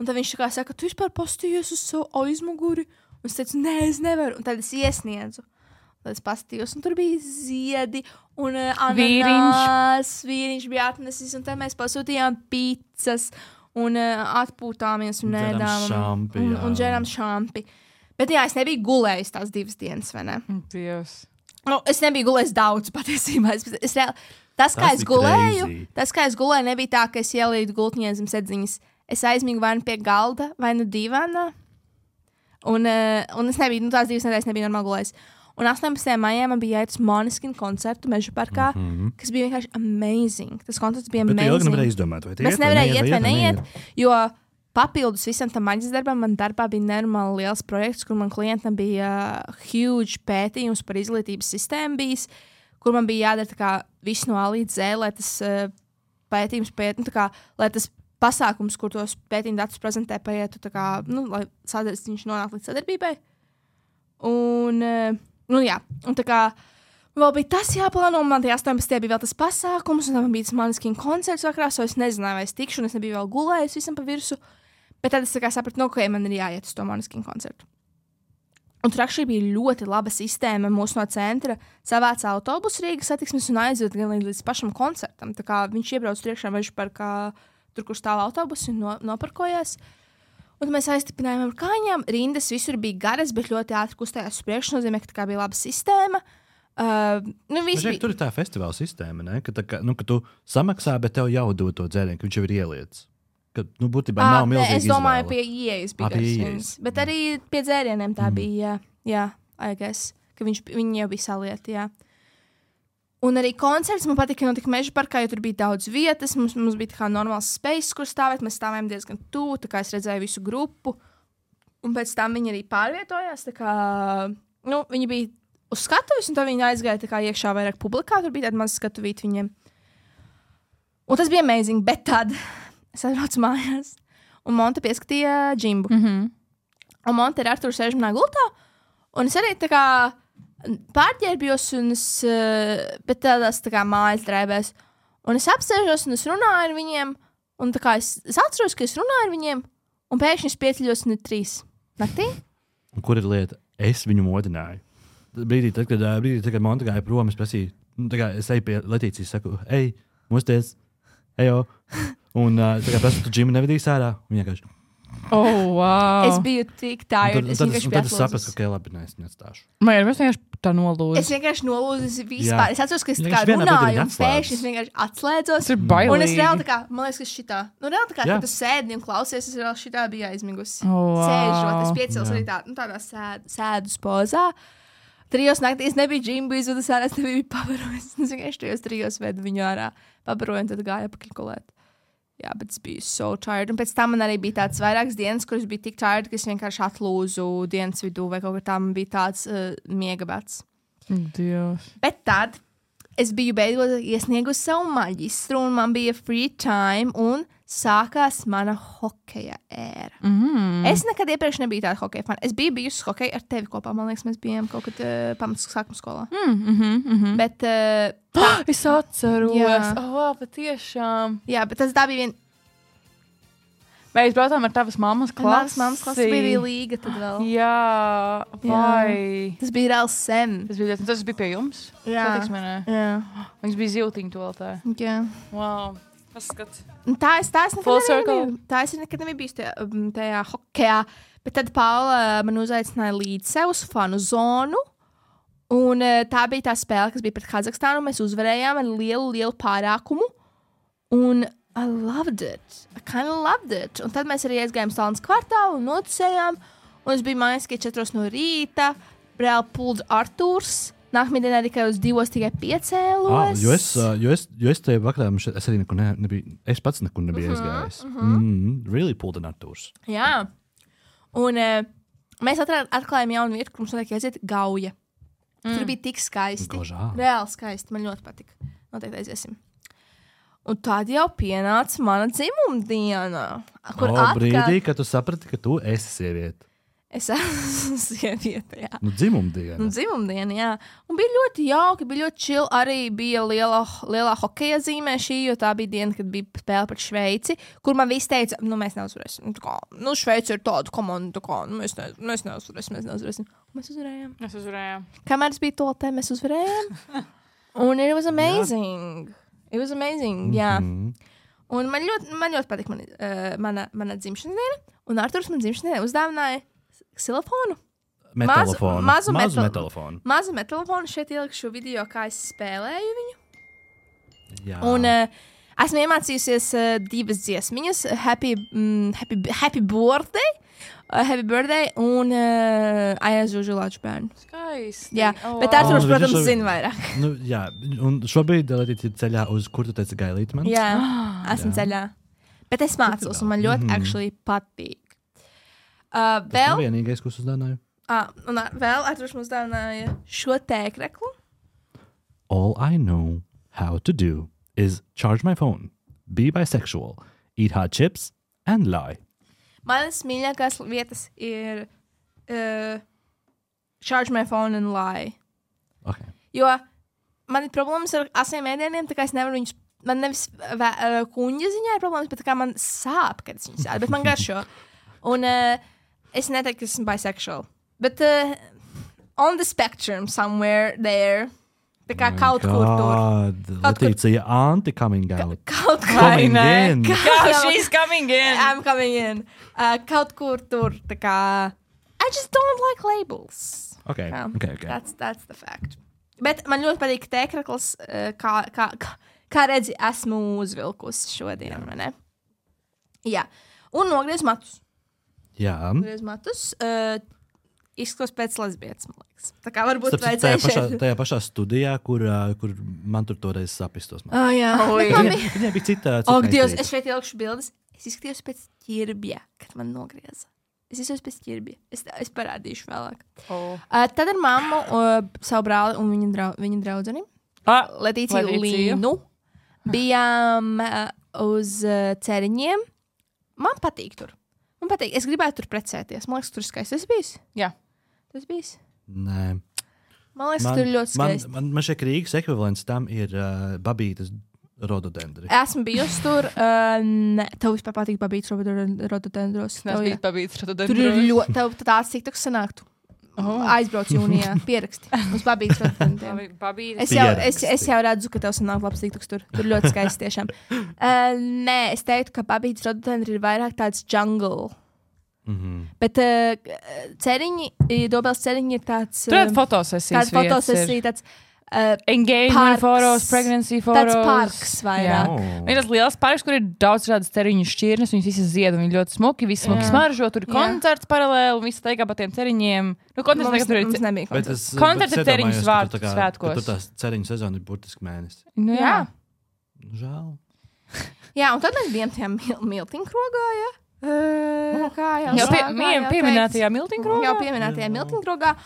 Un tad viņš tā kā saka, tu vispār postījies uz savu aizmuguri. Un es teicu, nē, es nevaru. Un tad es iesniedzu. Tad es pastījos, un tur bija ziedi, un vīriņš bija atnesis, un tad mēs pasūtījām pizzas, un atpūtāmies, un ēdām, un dzērām šampi. Bet jā, es nebiju gulējis tās 2 dienas, vai ne? Dievs. Es nebiju gulējis daudz, patiesībā. Tas, kā es gulēju, nebija tā, ka es ielīdu gultņē zem sedziņas. Es aizmigu vai nu pie galda, vai nu divānā. Un es nebiju, tās 2 nedēļas nebija normāli gulējis. Un 18. maijā man bija jāiet uz Måneskin koncertu Meža parkā, kas bija vienkārši amazing. Tas koncerts bija amazing. Bet tu ilgi nevarēji izdomāt, vai tie mēs nevarēja iet vai neiet, jo papildus visam tam maģis darbam, man darbā bija nenormāli liels projekts, kur man klientam bija huge pētījums par izglītības sistēmu bijis, kur man bija jādara tā kā viss no A līdz Z, lai tas pētījums lai tas pasākums, kur tos pētījuma datus prezentē, paietu tā kā, lai viņš nonāk līdz sadarbībai. Un tā kā vēl bija tas jāplāno, un man tajā 18. bija vēl tas pasākums, un man bija tas Måneskin koncerts vakarā, so es nezināju, vai es tikšu, un es nebiju vēl gulējis visam pa virsu, bet tad es tā kā sapratu, man ir jāiet uz to Måneskin koncertu. Un tur akšī bija ļoti laba sistēma, mūs no centra savāca autobusu Rīgas satiksmes un aizved gan līdz pašam koncertam, tā kā viņš iebrauc priekšā Meža parkā, tur, kur stāv autobusi, un noparkojās. Un mēs aiztipinājām ar kājām. Rindas visur bija garas, bet ļoti ātri kustējās uz priekšu. Nozīmē, ka tā bija laba sistēma. Tur ir tā festivāla sistēma, ne? Ka tu samaksā, bet tev jau dod to dzērienu, ka viņš jau ir ieliets. Ka, būtībā nav milzīga izvēle. Es domāju, pie ieejas bija garas. Bet arī pie dzērieniem tā bija, jā, I guess, ka viņi jau bija salieti, jā. Un arī koncerts man patika, ka notika Meža parkā, jo tur bija daudz vietas. Mums bija tā kā normāls space, kur stāvēt. Mēs stāvējām diezgan tuvu, tā kā es redzēju visu grupu. Un pēc tam viņi arī pārvietojās. Tā kā, viņi bija uz skatuves, un tad viņi aizgāja tā kā iekšā vairāk publikā. Tur bija tāda maza skatuvīta viņiem. Un tas bija amazing, bet tad es atbraucu mājās. Un Monte pieskatīja Jimbu. Un Monte ar Arturu sēž manā gultā. Un es arī tā kā pārģērbjos, bet tādās tā kā mājas drēbēs. Un es apsēžos, un es runāju ar viņiem, un tā kā es atceros, ka es runāju ar viņiem, un pēkšņi es pieceļos 3 naktī. Un kur ir lieta? Es viņu modināju. Brīdī, tad, kad Monte gāja prom, es prasīju, es eju pie Letīcijas, saku, ej, mosties, ejo. Un tā kā prasu, tu Džimu nevedīs ārā, un vienkārši. Oh, wow. Es biju tik tired. Tad es sapratu, ka labi, es neatstāšu. Man ir vienkārši tā nolūza. Es vienkārši nolūzu vispār. Es atceros, ka es tā kā runāju, un pēkšņi es vienkārši atslēdzos. Tas ir bailīgi. Un es reāli tā kā, man liekas, ka šitā. Reāli tā kā, kad tu sēdi un klausies, es reāli šitā biju aizmigusi. Wow. Sēžot, es piecels arī tādā sēdus pozā. 3 naktī es nebiju džimbijis, un es ārā nebiju pavarojis. Es vienkārši 3 vedu viņu ārā, pabaroju, un tad gāju apakļkulēt. Jā, bet es biju so tired. Un pēc tam man arī bija tāds vairākas dienas, kuras bija tik tired, ka es vienkārši atlūzu dienas vidū, vai kaut kā tā man bija tāds miega bats. Dievs. Bet tad es biju beidzot iesniegusi savu maģistru, un man bija free time, un sākās mana hokeja ēra. Es nekad iepriekš nebiju tāda hokeja fana. Es biju bijusi hokeja ar tevi kopā. Man liekas, mēs bijām kaut kad sākuma skolā. Bet es atceros. Jā, patiešām. Jā, bet tā bija viena. Mēs braucām ar tavas mammas klasi. Mammas klasi bija arī līga tad vēl. Jā, vai. Tas bija reāli sen. Tas bija pie jums? Jā. Viņas bija ziltiņi to vēl tā. Jā. Wow. Paskats. Tā es nekad nebiju bijusi tajā hokejā. Bet tad Paula man uzaicināja līdz sev uz fanu zonu. Un tā bija tā spēle, kas bija pret Kazahstānu. Mēs uzvarējām ar lielu pārākumu. Un I loved it. I kind of loved it. Un tad mēs arī aizgājām Stalnas kvartālu un noticējām. Un es biju mājās, ka 4 no rīta. Reāli pulds Artūrs. Nākamajā dienā tikai uz 2 tikai piecēlos. Jo es tajā vakarā, es arī nekur nebiju, es pats nekur nebiju aizgājis. Really pulled an Artūrs. Jā. Un mēs atklājām jaunu vietu, kur mums notiek jāiziet Gauja. Tur bija tik skaisti. Reāli skaisti. Man ļoti patika. Noteikti aiziesim. Un tad jau pienāca mana dzimumdiena. Brīdī, kad tu saprati, ka tu esi sieviete. Es esmu sieviete, jā. Dzimumdiena, jā. Un bija ļoti jauki, bija ļoti chill. Arī bija lielā hokeja zīmē šī, jo tā bija diena, kad bija spēle pret Šveici, kur man viss teica, mēs neuzvarēsim. Šveici ir tāda komanda, mēs neuzvarēsim. Mēs uzvarējām. Kamēr es biju toltē, mēs uzvarējām. Un it was amazing. It was amazing, jā. Un man ļoti patika mana dzimšanas diena. Un Arturs man dzimšanas diena uzdāvināja ksilofonu. Mazu metalofonu. Mazu metalofonu. Šeit ielikšu video, kā es spēlēju viņu. Jā. Un esmu iemācījusies 2 dziesmiņas. Happy birthday. Happy birthday un aizūžu lāču bērnu. Skaisti. Jā, bet Arturs, protams, zina vairāk. Jā, un šobrīd Letīte ir ceļā uz, kur tu teici gailīt man? Jā, esmu ceļā. Bet es mācos, un man ļoti actually patīk. Tas nav vienīgais, ko uzdāvināju. Un vēl Arturs mums uzdāvināja šo tēkreklu. All I know how to do is charge my phone, be bisexual, eat hot chips and lie. Manas mīļākās vietas ir charge my phone and lie. Okay. Jo man ir problēmas ar asiem ēdieniem, tā kā es nevaru viņus, man nevis kuņģa ziņā ir problēmas, bet tā kā man sāp, kad es viņus ēdu, bet man garšo. Un es neteiktu, ka esmu bisexual. Bet on the spectrum somewhere there. Tā kā kaut kur tur. Letīcija anti-coming out. Kaut kur. Coming in. She's coming in. I'm coming in. Kaut kur tur. Tā kā I just don't like labels. Okay. That's the fact. Bet man ļoti patīk tēkrekls, kā redzi, esmu uzvilkusi šodien, vai ne? Jā. Un nogriez matus. Jā. Nogriez matus. izskatos pēc lesbietes, man liekas. Tā kā varbūt tajā pašā studijā, kur man toreiz sapistos. Jā. Viņai bija cita. Dievs, es šeit ielikšu bildes. Es izskatījos pēc ķirbja, kad man nogrieza. Es izskatījos pēc ķirbja. Es parādīšu vēlāk. Tad ar mammu, savu brāli un viņa draudzeni, Letīciju Līnu, bijām uz ceriņiem. Man patīk tur. Es gribētu tur precēties. Man liekas, tur skaisti. Tas bijis? Jā. Tas bijis? Nē. Man liekas, tur ļoti skaisti. Man šeit Rīgas ekvivalents tam ir babītas rododendri. Esmu bijusi tur. Tev vispār patīk babītas rododendros. Nes bija babītas rododendros. Tur ir ļoti... Tev tāds tiktoks sanāktu. Aizbrauc jūnijā. Pieraksti. Uz babītas rododendriem. Es jau redzu, ka tev sanāk labs tiktoks tur. Tur ļoti skaisti tiešām. Nē, es teiktu, ka babītas rododendri ir vairāk tāds jungle. Bet Dobels ceriņi ir tāds... Tur ir fotosesijas. Tāda fotosesija, tāds... engagement photos, pregnancy photos. Tāds parks vairāk. Ir tas liels parks, kur ir daudz šādas ceriņu šķirnes, viņas visas zied, un viņi ļoti smuki, visi smuki smaržo, tur ir koncerts paralēli, un visi teikā pa tiem ceriņiem. Koncerts nebija koncerts. Koncerts ir ceriņu svētkos. Tur tās ceriņu sezona ir burtiski mēnesis. Jā. Žēl. Jā, un tad mēs bijām tajā miltiņkrogā, jā. Jau pieminētajā miltiņkrogā? Jā, pieminētajā miltiņkrogā.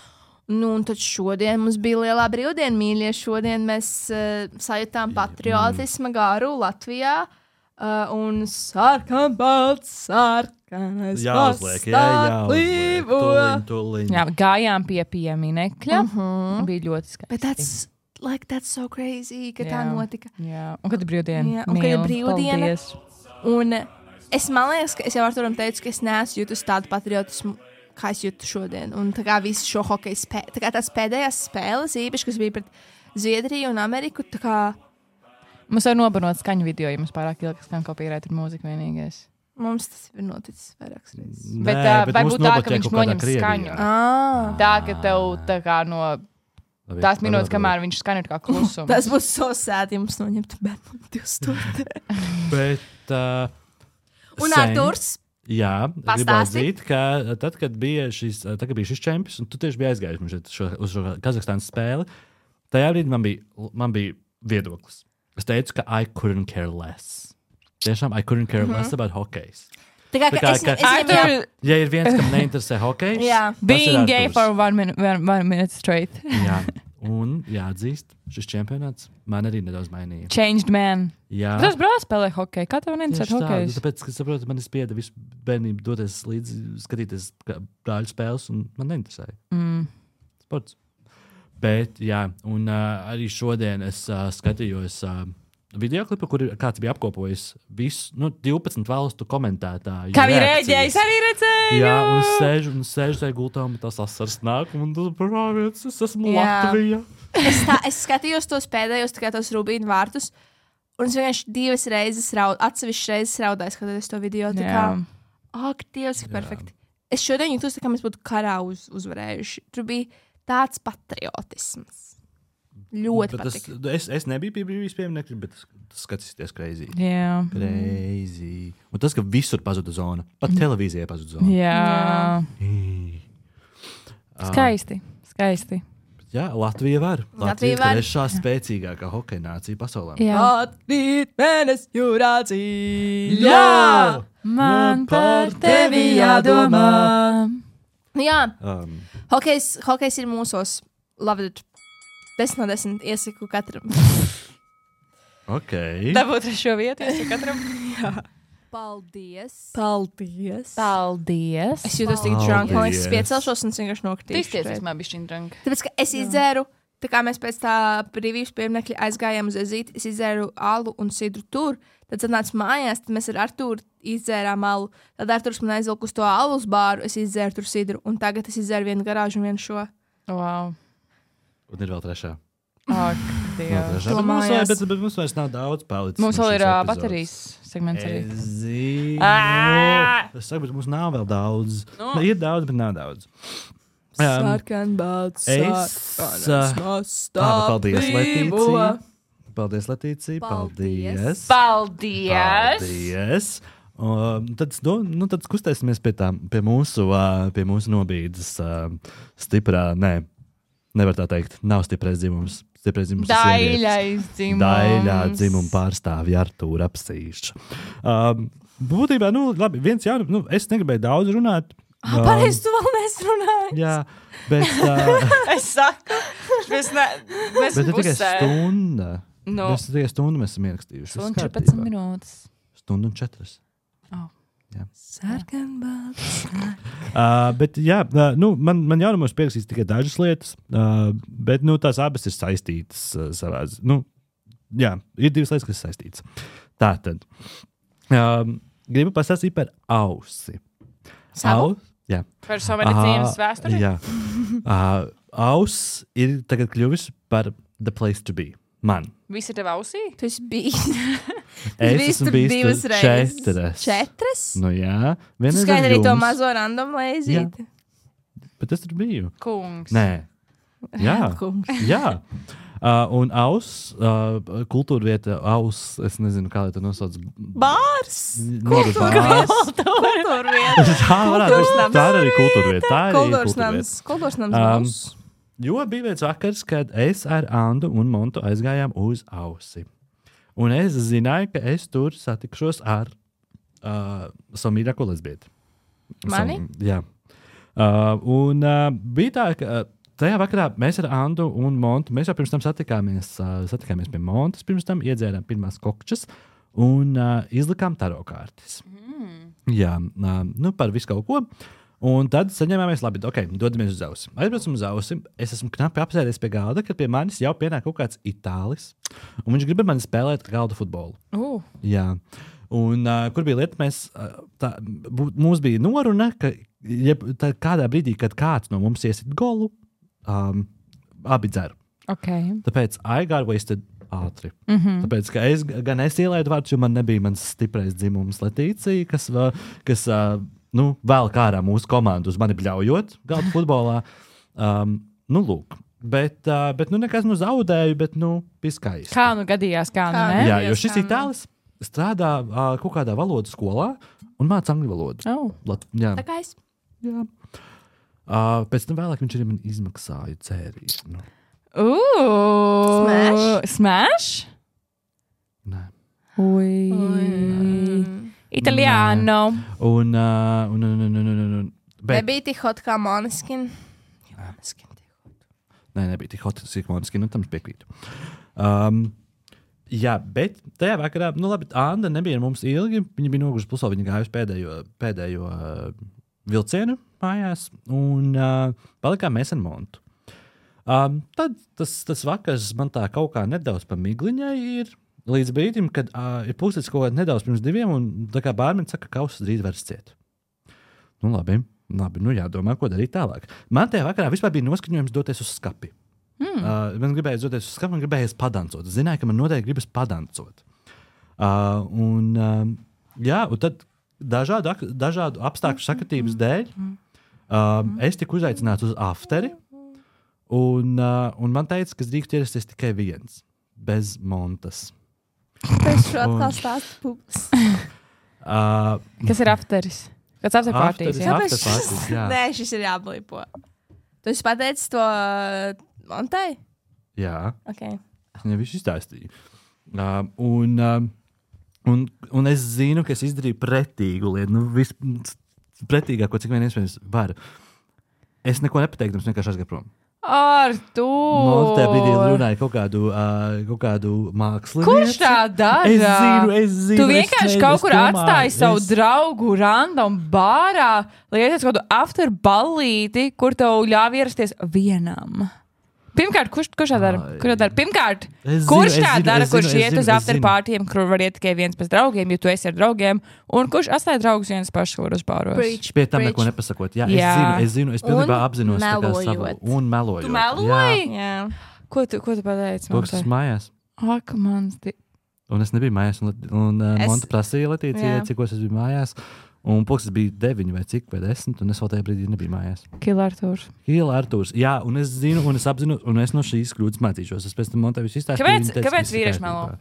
Nu, un tad šodien mums bija lielā brīvdiena, mīļie. Šodien mēs sajūtām patriotisma garu Latvijā. Un sarkanbalts, sarkanais jāuzliek. Jā, gājām pie pieminekļa. Bija ļoti skaisti. But that's so crazy, ka tā notika. Jā, un kad ir brīvdiena. Jā, un kad ir brīvdiena. Un man liekas, ka es jau Arturam teicu, ka es neesmu jutus tādu patriotismu, kā es jūtu šodien. Un tā kā visu šo hokeju spēli, tā kā tās pēdējās spēles, īpaši, kas bija pret Zviedriju un Ameriku, tā kā... Mums var nobanot skaņu video, ja mums pārāk ilgi skan kopīrēt ar mūziku vienīgais. Mums tas ir noticis vairākas reizes. Bet vai būtu tā, ka viņš noņem skaņu? Tā, ka tev tā kā no tās minūtes, kamēr viņš skan, ir kā klusums. Tas būs so sad, ja mums noņemtu bērnu 2 Bet... un Arturs... Jā, gribu atzīt, ka tad, kad bija šis čempions, un tu tieši biji aizgājis uz šo Kazahstānas spēli, tajā brīdī man bija viedoklis. Es teicu, ka I couldn't care less. Tiešām, I couldn't care less about hokejs. Tā kā ja ir viens, kam neinteresē hokejs, being gay for one minute straight. Jā. Un jāatzīst, šis čempionāts man arī nedaudz mainīja. Changed man. Jā. Tas brālis spēlē hokeju. Kā tev neinteresē hokejs? Tāpēc, ka saprotu, man spieda visu bērnību doties līdzi, skatīties brāļu spēles, un man neinteresēja. Sports. Bet, jā, un arī šodien es skatījos videoklipu, kur kāds bija apkopojis visu 12 valstu komentētāju. Kā viņi rēģēja, arī redzēju! Jā, un sēžu tajā gultā, un tas asars nāk, un tas es esmu Latvija. Es skatījos tos pēdējos, tos Rubīnu vārtus, un es vienkārši 2 reizes atsevišķas reizes raudāju, skatoties to video. Tā kā, ak, Dievs, ka perfekti. Es šodien jūtos, tā kā mēs būtu karā uzvarējuši. Tur bija tāds patriotisms. Ļoti patīk. Es nebiju pie brīvības pieminekļa, bet tas skatīsies crazy. Jā. Crazy. Un tas, ka visur pazuda zona. Pat televīzijai pazuda zona. Jā. Skaisti. Jā, Latvija var. Latvija ir trešā spēcīgākā hokeja nācija pasaulē. Latvīt mēnes jūrācija. Jā! Man par tevi jādomā. Jā. Hokejs ir mūsos. Love it. 10 no 10 iesaku katram. Ok. Dabūt 3. vietu iesaku katram. Jā. Paldies. Es jūtos tik drunk. Man liekas, es piecelšos un vienkārši nokritīšu. Tīs man bišķiņ drunk. Tāpēc, ka es izdzēru, tā kā mēs pēc tā brīvības pieminekļa aizgājām uz ezīti, es izdzēru alu un sidru tur. Tad atnācu mājās, tad mēs ar Arturu izdzērām alu. Tad Arturs man aizvilka uz to alus bāru, es izdzēru tur sidru. Un tagad es izdzēru vienu garāžu un vienu šo. Wow. Un ir vēl 3. Ak, Dievs. Bet mums vairs nav daudz palicis. Mums vēl ir baterijas segments arī. Es saku, bet mums nav vēl daudz. Ir daudz, bet nav daudz. Sarkanbalts, sarkanais paldies, Letīcija. Paldies. Paldies. Paldies. tad kustēsimies pie mūsu nobīdes stiprā, nevar tā teikt, nav stiprais dzimums. Daļais dzimums. Daļā dzimuma pārstāvja Artūra Apsīša. Būtībā, labi, viens jaunums, es negribēju daudz runāt. Pareizi, tu vēl nesrunāji. Jā, bet... es saku, mēs bet tikai stunda. Mēs tikai stundu mēs esam ierakstījuši. Stundu 14 minūtes. Stundu un 4. Oh. Jā. Sarkanbalts. Bet jā, man jaunumos pierakstīts tikai dažas lietas, bet tās abas ir saistītas savā. Jā, ir divas lietas, kas saistītas. Tātad, gribu pastāstīt par ausi. Savu? Jā. Par savu medicīnas vēsturi? Jā. Auss ir tagad kļuvusi par the place to be. Man. Visi ir tev ausī? Tu esi bijis. Es esmu bijis tur 4. 4? Nu jā. Skaidri arī to mazo random leizīti. Bet es tur biju. Kungs. Nē. Jā. Kungs. Jā. Un auss, kultūra vieta, auss, es nezinu, kā lai to nosauc. Bārs! Kultūra vieta. Tā ir arī kultūra vieta. Kultūras nams. Jo bija viens vakars, kad es ar Andu un Montu aizgājām uz ausi. Un es zināju, ka es tur satikšos ar savu mīļāko lesbieti. Mani? Jā. Un bija tā, ka tajā vakarā mēs ar Andu un Montu, mēs jau pirms tam satikāmies pie Montas, pirms tam iedzērām pirmās kokčas un izlikām tarokārtis. Jā, par visu kaut ko. Un tad saņēmāmies, labi, dodamies uz ausi. Aizbraucam uz ausi, es esmu knapi apsēdies pie galda, kad pie manis jau pienāk kaut kāds itālis, un viņš grib ar mani spēlēt galda futbolu. Jā. Un kur bija lieta, mums bija noruna, ka kādā brīdī, kad kāds no mums iesit golu, abi dzer. Okay. Tāpēc I got wasted ātri. Tāpēc, ka es ielaidu vārdus, jo man nebija mans stiprais dzimums Letīcija, kas vēl kārā mūsu komandu uz mani bļaujot galda futbolā. Lūk. Bet nekas zaudēju, bet bija skaisti. Kā gadījās, ne? Jā, jo šis itālis strādā kaut kādā valodas skolā un māca angļu valodu. Jā. Tā kā es. Jā. Pēc tam vēlāk viņš arī man izmaksāja dzērienu. Smash? Nē. Italiano. Un nebija tik hot kā Måneskin. Nē, nebija tik hot kā Måneskin, tam es piekrītu. Jā, bet tajā vakarā, labi, Anda nebija ar mums ilgi, viņa bija nogurusi pusē, viņa gāja uz pēdējo vilcienu mājās, un palikām mēs ar Montu. Tad tas vakars man tā kaut kā nedaudz pa migliņai ir, līdz brīdim, kad ir puslīdz kaut kā nedaudz pirms 2, un tā kā bārmenis saka, ka kausis drīz vairs ciet. Labi, jādomā, ko darīt tālāk. Man tajā vakarā vispār bija noskaņojums doties uz skapi. Man gribējās doties uz skapi, man gribējās padancot. Es zināju, ka man noteikti gribas padancot. Un tad dažādu apstākļu sakritības dēļ es tiku uzaicināts uz afteri, un man teica, ka es drīkstu ierasties tikai viens, bez Montas. Es šo atkal stāstu publiski. Kas ir afteris? Kāds afterpartijas? Nē, šis ir jāblipo. Tu esi pateicis to Montai? Jā. Okay. Es viņai visu izstāstīju. Un es zinu, ka es izdarīju pretīgu lietu. Pretīgāko, cik vien iespējams varu. Es neko nepateiktu, vienkārši aizgāju prom. Artūr! Man tajā brīdī runāja kaut kādu mākslinieci. Kurš tā dara? Es zinu. Tu vienkārši kaut kur atstāji savu draugu random bārā, lai iesies kaut kādu after ballīti, kur tev ļāv ierasties vienam. Pirmkārt, kurš tā dara? Pirmkārt, kurš tā dara, kurš iet uz afterpartijiem, kur var iet tikai viens pēc draugiem, jo tu esi ar draugiem, un kurš atstāja draugus viens pašs, kur uz bāros? Pie tam neko nepasakot. Jā, es zinu, es pilnībā apzinos savu. Un melojot. Tu meloji? Jā. Ko tu pateici? To, kas esmu mājās. Ak, mans. Un es nebiju mājās, un Monta prasīja Letīcijai, cikos es biju mājās. Un pulkstenis bija 9 vai cik, vai 10, un es vēl tajā brīdī nebiju mājās. Kila Artūrs. Jā, un es zinu, un es apzinu, un es no šīs kļūdas mācīšos. Es pēc tam Montai visu izstāstīju. Kāpēc vīrieši melo?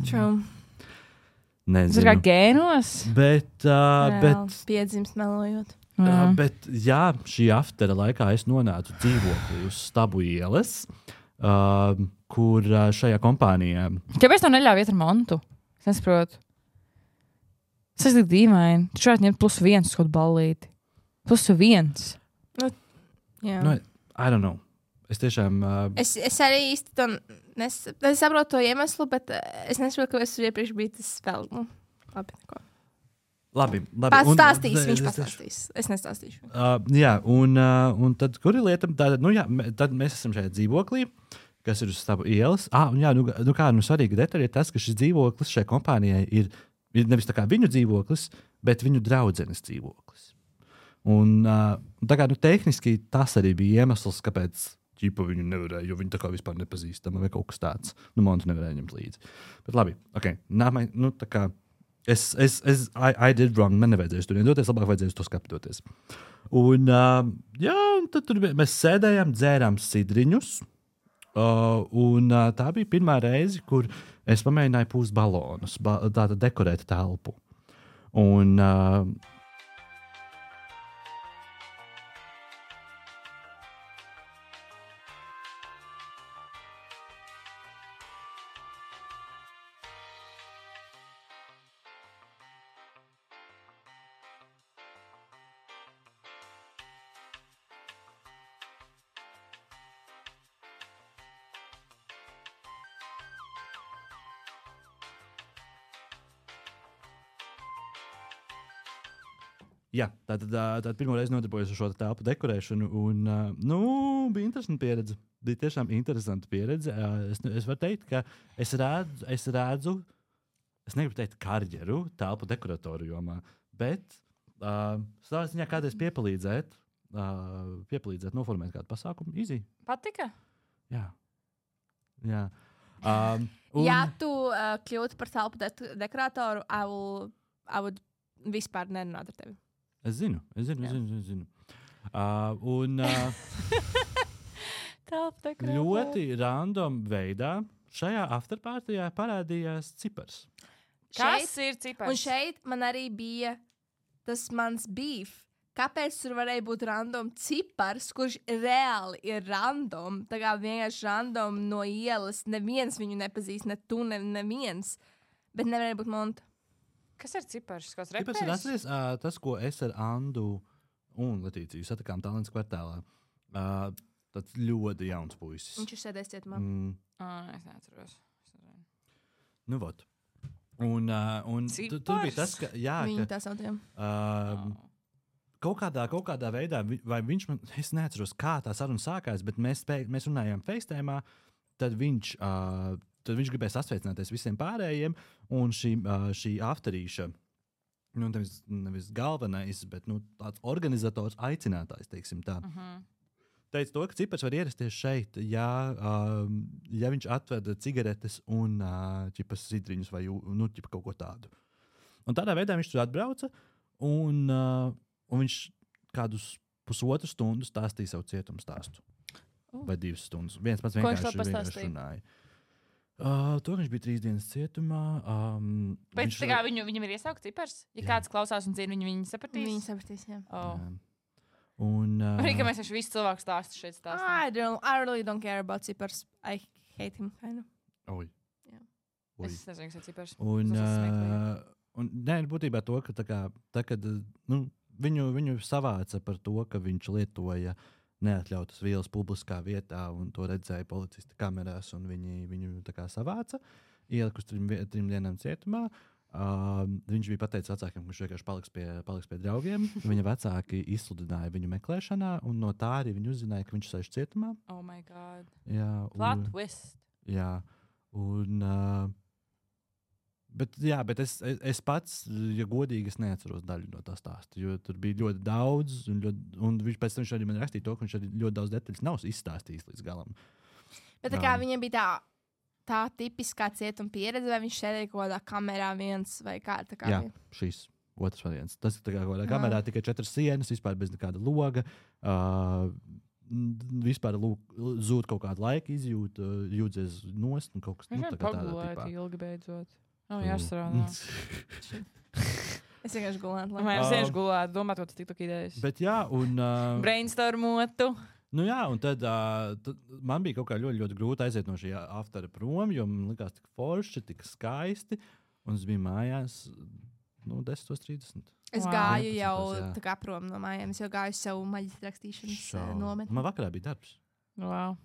True. Nezinu. Tas ir kā gēnos? Bet piedzimst melojot. Bet, jā, šī aftera laikā es nonācu dzīvoklī uz Stabu ielas, kur šajā kompānijā... Kāpēc tev neļauj iet ar mantu? Es nesaprotu. Tas ir dīvaini. Tu šādi ņemt +1 uz kaut ballīti. +1. I don't know. Es tiešām... Es arī īsti to nesaprotu to iemeslu, bet es nesaprotu, ka es iepriekš biju tas vēl. Labi. Pats stāstīs, viņš pastāstīs. Es nestāstīšu. Jā, un tad, kur ir lieta? Tad mēs esam šajā dzīvoklī, kas ir uz Stabu ielas. Svarīga detaļa ir tas, ka šis dzīvoklis šai kompānijai ir nevis tā kā viņu dzīvoklis, bet viņu draudzenes dzīvoklis. Un tā kā tehniski tas arī bija iemesls, kāpēc viņu nevarēja, jo viņi tā kā vispār nepazīstama vai kaut kas tāds. Montu nevarēja ņemt līdzi. Bet labi, ok. Tā kā I did wrong, man nevajadzēja tur doties, labāk vajadzēja to skaptoties. Un tad tur mēs sēdējām, dzērām sidriņus, un tā bija pirmā reize, kur es pamēģināju pūst balonus, tātad dekorēt telpu. Un jā, tātad pirmo reizi nodarbojos ar šo telpu dekorēšanu, un bija interesanta pieredze. Bija tiešām interesanta pieredze. Es varu teikt, ka es redzu, es negribu teikt karjeru telpu dekoratoru jomā, bet savā ziņā kādreiz piepalīdzēt noformēt kādu pasākumu. Easy. Patika? Jā. Ja tu kļūtu par telpu dekoratoru, I would vispār nerunāt ar tevi. Es zinu. Ļoti random veidā šajā afterpartijā parādījās cipars. Kas ir cipars? Un šeit man arī bija tas mans beef. Kāpēc tur varēja būt random cipars, kurš reāli ir random? Tā kā vienkārši random no ielas. Neviens viņu nepazīst, ne tu, neviens. Bet nevarēja būt monta. Kas ir cipars? Cipars ir atceries, tas, ko es ar Andu un Letīciju satikām Tallinas kvartālā. Tāds ļoti jauns puisis. Viņš ir sēdējis cietumā. Es neatceros. Nu, vot. Un tur bija tas, ka... Jā, viņu tā saucam. Kaut kādā veidā, vai viņš man... Es neatceros, kā tā saruna sākās, bet mēs runājām FaceTime'ā, tad viņš gribēja sasveicināties visiem pārējiem, un šī afterīša, nevis galvenais, bet tāds organizators, aicinātājs, teiksim tā, teica to, ka cipars var ierasties šeit, ja viņš atveda cigaretes un sidriņus vai kaut ko tādu. Un tādā veidā viņš tur atbrauca, un viņš kādus pusotru stundu stāstīja savu cietumu stāstu. Vai 2 stundas. Viens pats vienkārši runāja. To viņš bija 3 dienas cietumā. Bet viņam ir iesaukts cipars? Ja kāds klausās un zina, viņi sapratīs? Viņi sapratīs, jā. Arī, ka mēs visu cilvēku stāstu šeit stāstam. I really don't care about cipars. I hate him, kind of. Oi. Yeah. Es nezinu, kas ir cipars. Un būtībā to, ka kad viņu savāca par to, ka viņš lietoja neatļautas vielas publiskā vietā, un to redzēja policisti kamerās, un viņu tā kā savāca, ielika uz 3 dienām cietumā. Viņš bija pateicis vecākiem, ka viņš vienkārši paliks pie draugiem. Viņa vecāki izsludināja viņu meklēšanā, un no tā arī viņi uzzināja, ka viņš sēž cietumā. Oh my God. Jā. Plot twist. Jā. Bet es pats, ja godīgi, es neatceros daļu no tā stāsta, jo tur bija ļoti daudz, un viņš pēc tam arī man rakstīja to, ka viņš arī ļoti daudz detaļas nav izstāstījis līdz galam. Bet tā kā viņam bija tā tipiskā cietuma pieredze, vai viņš sēdēja kaut kādā kamerā viens vai kā? Jā, šīs otrs variants. Tas ir tā kā kādā kamerā tikai 4 sienas, vispār bez nekāda loga. Vispār zūd kaut kādu laiku izjūdzies nost un kaut kas tāds. Viņš pagulēt ilgi beidzot. Jāstrādā. Es vienkārši gulētu. Es vienkārši gulētu, domāt, ko tas tiktu idejas. Bet jā, un... Brainstormotu. Nu jā, un tad man bija kaut kā ļoti, ļoti grūti aiziet no šī aftara prom, jo man likās tik forši, tik skaisti, un es biju mājās 10:30. Es gāju jau tā kā prom no mājām, es jau gāju savu maģistra rakstīšanas nometni. Man vakarā bija darbs. Wow.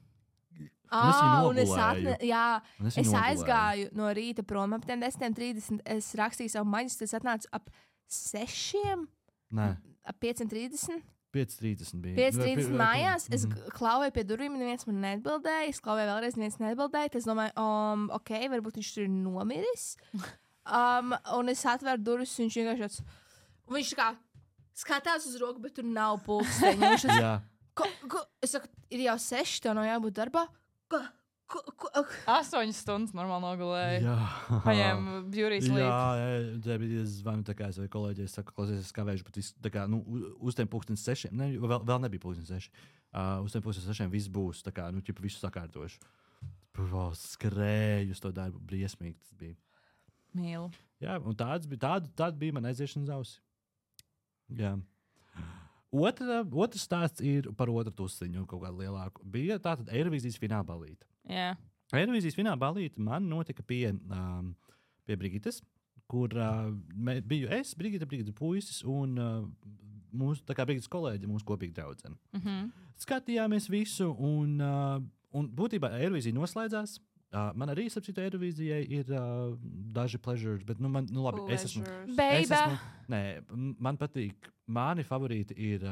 Es aizgāju no rīta prom ap 10:30. Es rakstīju savu maģistru, es atnācu ap 6. Nē. Ap 5:30. 5:30 bija. 5:30 mājās. Es klauvēju pie durvīm, neviens man neatbildēja. Es klauvēju vēlreiz, neviens neatbildēja. Es domāju, ok, varbūt viņš tur ir nomiris. Un es atvēru durvis, un viņš vienkārši viņš tā kā skatās uz roku, bet tur nav pulksteņa. Es saku, ir jau 6, tev nav jābūt darbā. 8 stundas normāli nogulēju. Jā. Paņēm beauty sleep. Jā, es zvanu tā kā es vai kolēģi, es saku, klausies, es kavēšu, bet tā kā, uz tiem 6:00, vēl nebija 6:00. Uz tiem 6:00 viss būs, tā kā, ķipa visu sakārtošu. Skrēju uz to darbu, briesmīgi tas bija. Mīlu. Jā, un tāda bija man aiziešanas ausi. Jā. Otrs stāsts ir par otru tusiņu, kaut kādu lielāku. Bija tātad Eirovīzijas fināla balīte. Jā. Eirovīzijas fināla balīte man notika pie Brigites, kur biju es, Brigita puisis un mūsu, tā kā Brigitas kolēģi, mūsu kopīgi draudzene. Skatījāmies visu un būtībā Eirovīzija noslēdzās. Man arī, sapcītu, Eirovīzijai ir daži pleasures, bet, labi, es esmu... Man patīk, mani favorīti ir...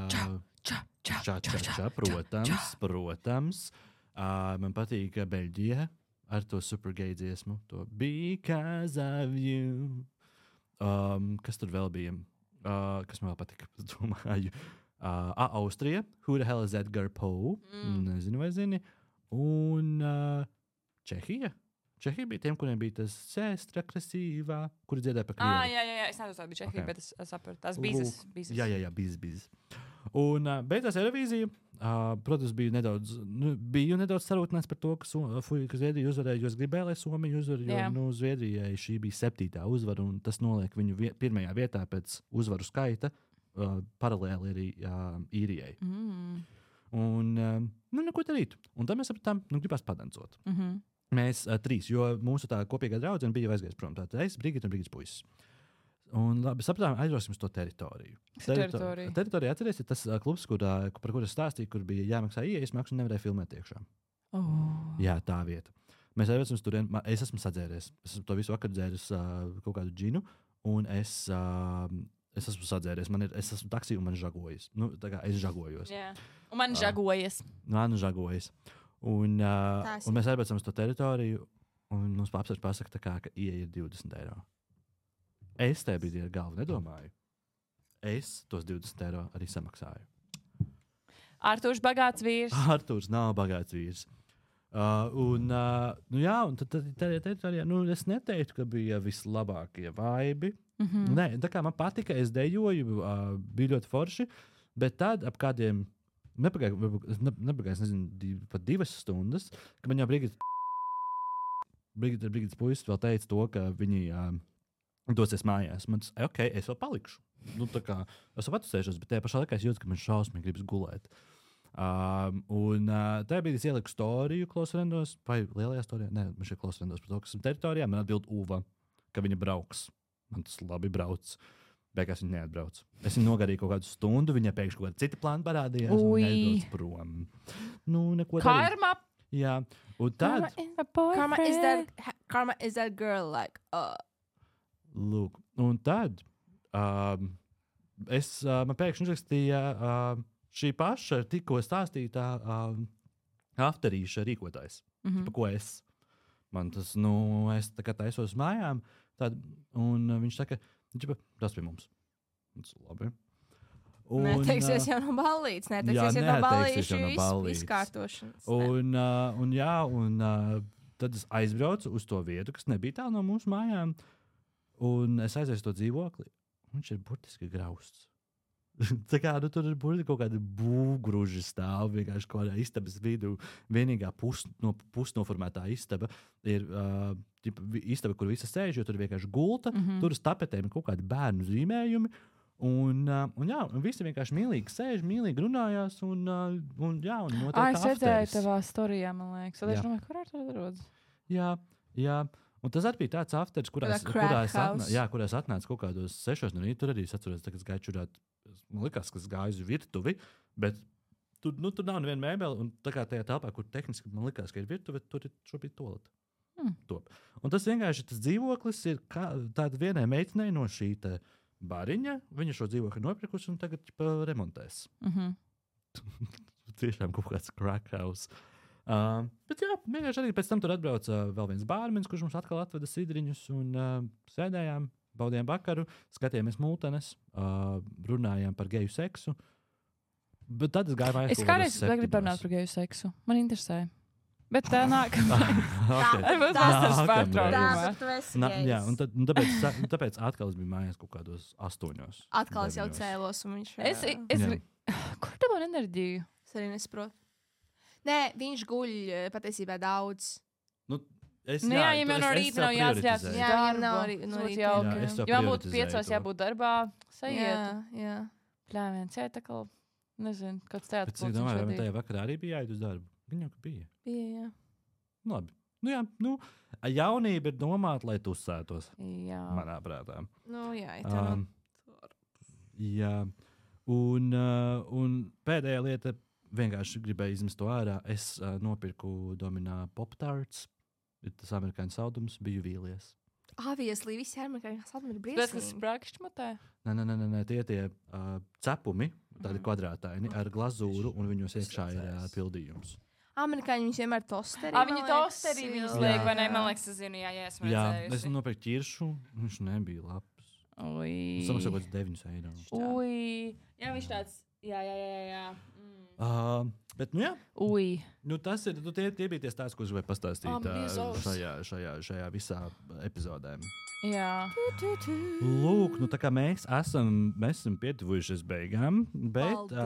Protams. Man patīk Beļģija ar to supergay dziesmu, to Because of You. Kas tur vēl bija? Kas man vēl patika, es domāju. Austrija, Who the hell is Edgar Poe? Nezinu, vai zini. Un... Čehija bija tiem, kuriem bija tas sēstra krasīvā, kuri dziedāja par krievu. Jā, es nezinu, tā bija Čehija, bet es sapratu, tās bīzes. Jā, bīzes. Un beidzās Eirovīzija. Protams, biju nedaudz sarūtināts par to, ka Zviedrija uzvarēja, jo es gribēju, lai Somija uzvarēja, jo Zviedrijai šī bija 7. uzvara, un tas noliek viņu pirmajā vietā pēc uzvaru skaita, paralēli arī Īrijai. Un, neko darīt. Un tad mēs sapratām, gribās padancot. Mēs 3, jo mūsu tā kopīgā draudzene bija aizgājis prom. Tātad es, Brigita un Brigitas puisis. Un labi, sapratām, aizbrauksim uz to teritoriju. Teritorija, atceries, ir tas klubs, par kuru es stāstīju, kur bija jāmaksā ieejas maksu un nevarēja filmēt iekšā. Jā, tā vieta. Mēs aizbraucam uz turien, es esmu sadzēries. Es esmu to visu vakar dzēris kaut kādu džinu, un es esmu sadzēries. Es esmu taksī un man žagojas. Tā kā es žagojos. Jā. Un man žagojas. Man žagojas. Un mēs aizbraucam uz to teritoriju, un mums apsvērts pasaka, ka ieeja ir 20 eiro. Es tajā brīdī ar galvu nedomāju. Es tos 20 eiro arī samaksāju. Artūrs bagāts vīrs. Artūrs nav bagāts vīrs. Un tad teritorijā, es neteiktu, ka bija vislabākie vaibi. Nē, tā kā man patika, es dejoju, bija ļoti forši, bet tad ap kādiem nepagājis, nezinu, pat 2 stundas, ka man jau Brigitas puisis vēl teica to, ka viņi dosies mājās. Man tas, ok, es vēl palikšu. Es vēl patusēšos, bet tajā pašā laikā es jūtu, ka man šausmīgi gribas gulēt. Tajā brīdī es ieliku storiju Klausrendos, vai lielajā storijā? Nē, man šeit Klausrendos par to, kas esmu teritorijā, man atbild Uva, ka viņa brauks. Man tas labi brauc. Beigās viņa neatbrauc. Es viņu nogarīju kaut kādu stundu, viņai pēkšņi kaut kāda cita plāna parādījās, un viņa aizbrauc prom. Neko Karma! Jā, un tad... Karma is that girl, like... Lūk, un tad man pēkšņi uzrakstīja šī paša tikko stāstītā afterīša rīkotājs. Pa ko es? Man tas, es tā kā taisos mājām, un viņš saka, tas pie mums. Tas labi. Neteiksies jau no ballītes, neteiksies jau no ballīšu izkārtošanas. Un tad es aizbraucu uz to vietu, kas nebija tālu no mūsu mājām, un es aizēju to dzīvokli. Viņš ir burtiski grausts. Tā kā tur ir kaut kāda būvgrūža stāv vienkārši kaut kādā istabas vidū. Vienīgā pusnoformētā istaba ir istaba, kur visi sēž, jo tur ir vienkārši gulta. Tur uz tapetēm ir kaut kādi bērnu zīmējumi. Un visi vienkārši mīlīgi sēž, mīlīgi runājās. Un notiek es redzēju tavā storijā, man liekas. Es domāju, kur ar to rodas? Jā. Un tas arī bija tāds afteris, kurā es atnācu kaut kādos 6 no rīta. Tur arī es atceros, ka es gāju čurāt. Man likās, ka es gāju uz virtuvi, bet tur nav neviena mēbele. Un tā kā tajā telpā, kur tehniski man likās, ka ir virtuve, tur ir šobrīd toleta. Un tas vienkārši tas dzīvoklis ir tāda vienai meitenei no šī bariņa. Viņa šo dzīvokli nopirkusi un tagad remontēs. Tiešām kaut kāds crack house. Bet vienkārši arī pēc tam tur atbrauca vēl viens bārmenis, kurš mums atkal atveda sidriņus un sēdējām, baudījām vakaru, skatījāmies multenes, runājām par geju seksu. Bet tad es gāju mājās. Es kādreiz gribu parunāt par geju seksu. Man interesē. Bet tā nākamā. Jā, un tāpēc atkal es biju mājās kaut kādos 8. Atkal es jau cēlos un viņš... Kur tev ir enerģija? Es arī nesaprotu. Nē, viņš guļ patiesībā daudz. Jā, ja man no rīta nav jāatļās. Jā, nav no rīta. Ja man būtu 5 jābūt darbā, sajiet. Jā. Pļāviens, tā kā, nezinu, kāds teātris. Bet es domāju, vai tajā vakarā arī bija jāiet uz darbu? Viņa jau bija. Jā. Labi. Jaunība ir domāta, lai tusētos. Jā. Manā prātā. Jā. Un pēdējā lieta, vienkārši gribēju izmest to ārā. Es nopirku Dominā Pop-Tarts. Ir tas amerikāņu saldums, biju vīlies. Obviously, visi amerikāņu saldumi ir briesmīgi. Tas sprākšķmatē? Nē, tie cepumi, tādi kvadrātaini ar glazūru, un viņos iekšā ir pildījums. Amerikāņi viņus vienmēr tosterī. Viņi tosterī viņus liek, vai ne? Man liekas, es zinu, esmu redzējusi. Es nopirku ķiršu, viņš nebija labs. Es samaksāju kaut kāds 9 eiro. Jā, viņš tāds, jā. Bet, tas ir, tie bija tie stāsti, ko es gribēju pastāstīt šajā visā epizodē. Jā. Lūk, tā kā mēs esam pietuvušies beigām, bet,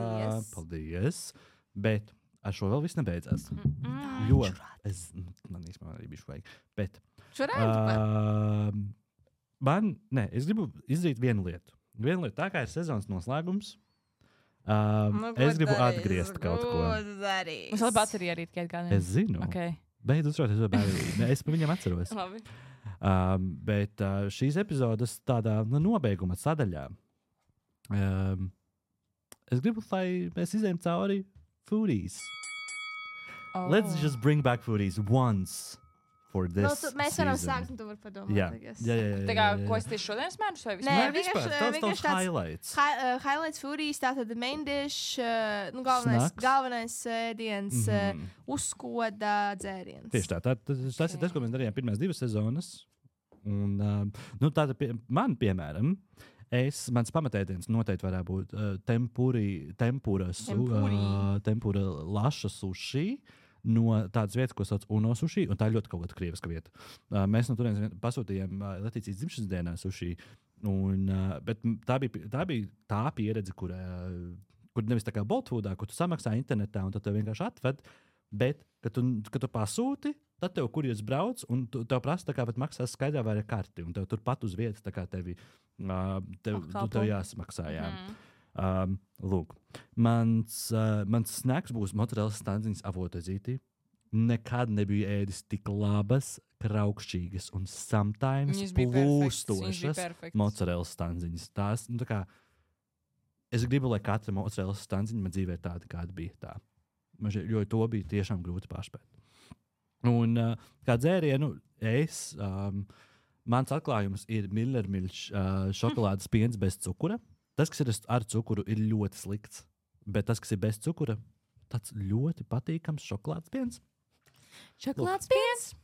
paldies, bet ar šo vēl viss nebeidzās. Jo, man īstenībā arī bišķi vajag, bet, es gribu izdarīt vienu lietu, tā kā ir sezonas noslēgums. Es gribu atgriezt kaut ko. Mums vēl baterija arī tikai gādiem. Es zinu. Beidz uzrauties ar bateriju. Es par viņiem atceros. Labi. Bet šīs epizodes tādā nobeiguma sadaļā. Es gribu, lai mēs izējam cauri foodies. Let's just bring back foodies once. Mēs varam sākt, un tu vari padomāt. Jā. Tā kā, ko es tieši šodien smēru? Nē, vienkārši tāds highlights. Highlights foodies, tātad main dish, galvenais ēdiens, uzkoda dzēriens. Tieši tā. Tas ir tas, ko mēs darījām pirmās 2 sezonas. Un, man, piemēram, mans pamatēdiens noteikti varētu būt tempura laša sushi. No tādas vietas, ko sauc Uno sushi, un tā ir ļoti kaut kāda krieviska vieta. Mēs no turienes pasūtījām Latīcijas dzimšanas dienā sushi, bet tā bija tā pieredze, kur nevis tā kā Boltfoodā, kur tu samaksā internetā, un tad tev vienkārši atved, bet, kad tu pasūti, tad tev kurjers brauc, un tev prasa, tā kā pat maksās skaidrā vai ar karti, un tev turpat uz vietas, tā kā tev jāsamaksā, jā. Lūk, mans snacks būs mozzarella stanziņas avotazīti. Nekad nebiju ēdis tik labas, kraukšķīgas un sometimes plūstošas mozzarella stanziņas. Tās, es gribu, lai katra mozzarella stanziņa man dzīvē tāda, kāda bija tā. Jo to bija tiešām grūti pārspēt. Un kā dzērienu, mans atklājums ir Millermilch šokolādes piens bez cukura. Tas, kas ir ar cukuru, ir ļoti slikts. Bet tas, kas ir bez cukura, tāds ļoti patīkams šokolādes piens. Šokolādes piens?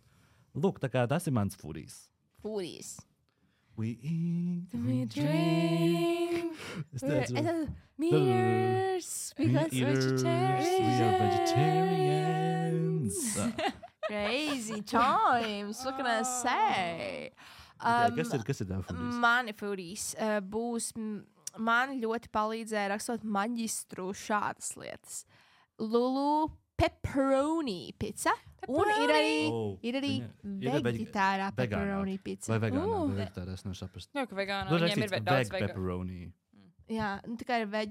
Lūk, tā kā tas ir mans foodies. Foodies. We eat, we drink. Mears, because we are vegetarians. Crazy times, what can I say? Kas ir tā foodies? Mani foodies būs man ļoti palīdzēja rakstot maģistru šādas lietas. Lulu pepperoni pizza. Un ir arī veģetārā pepperoni pizza. Vai vegānā, vai veģetārā, es nevaru saprast. Jā, ka vegānā viņiem ir daudz pepperoni. Jā, tā kā ir veg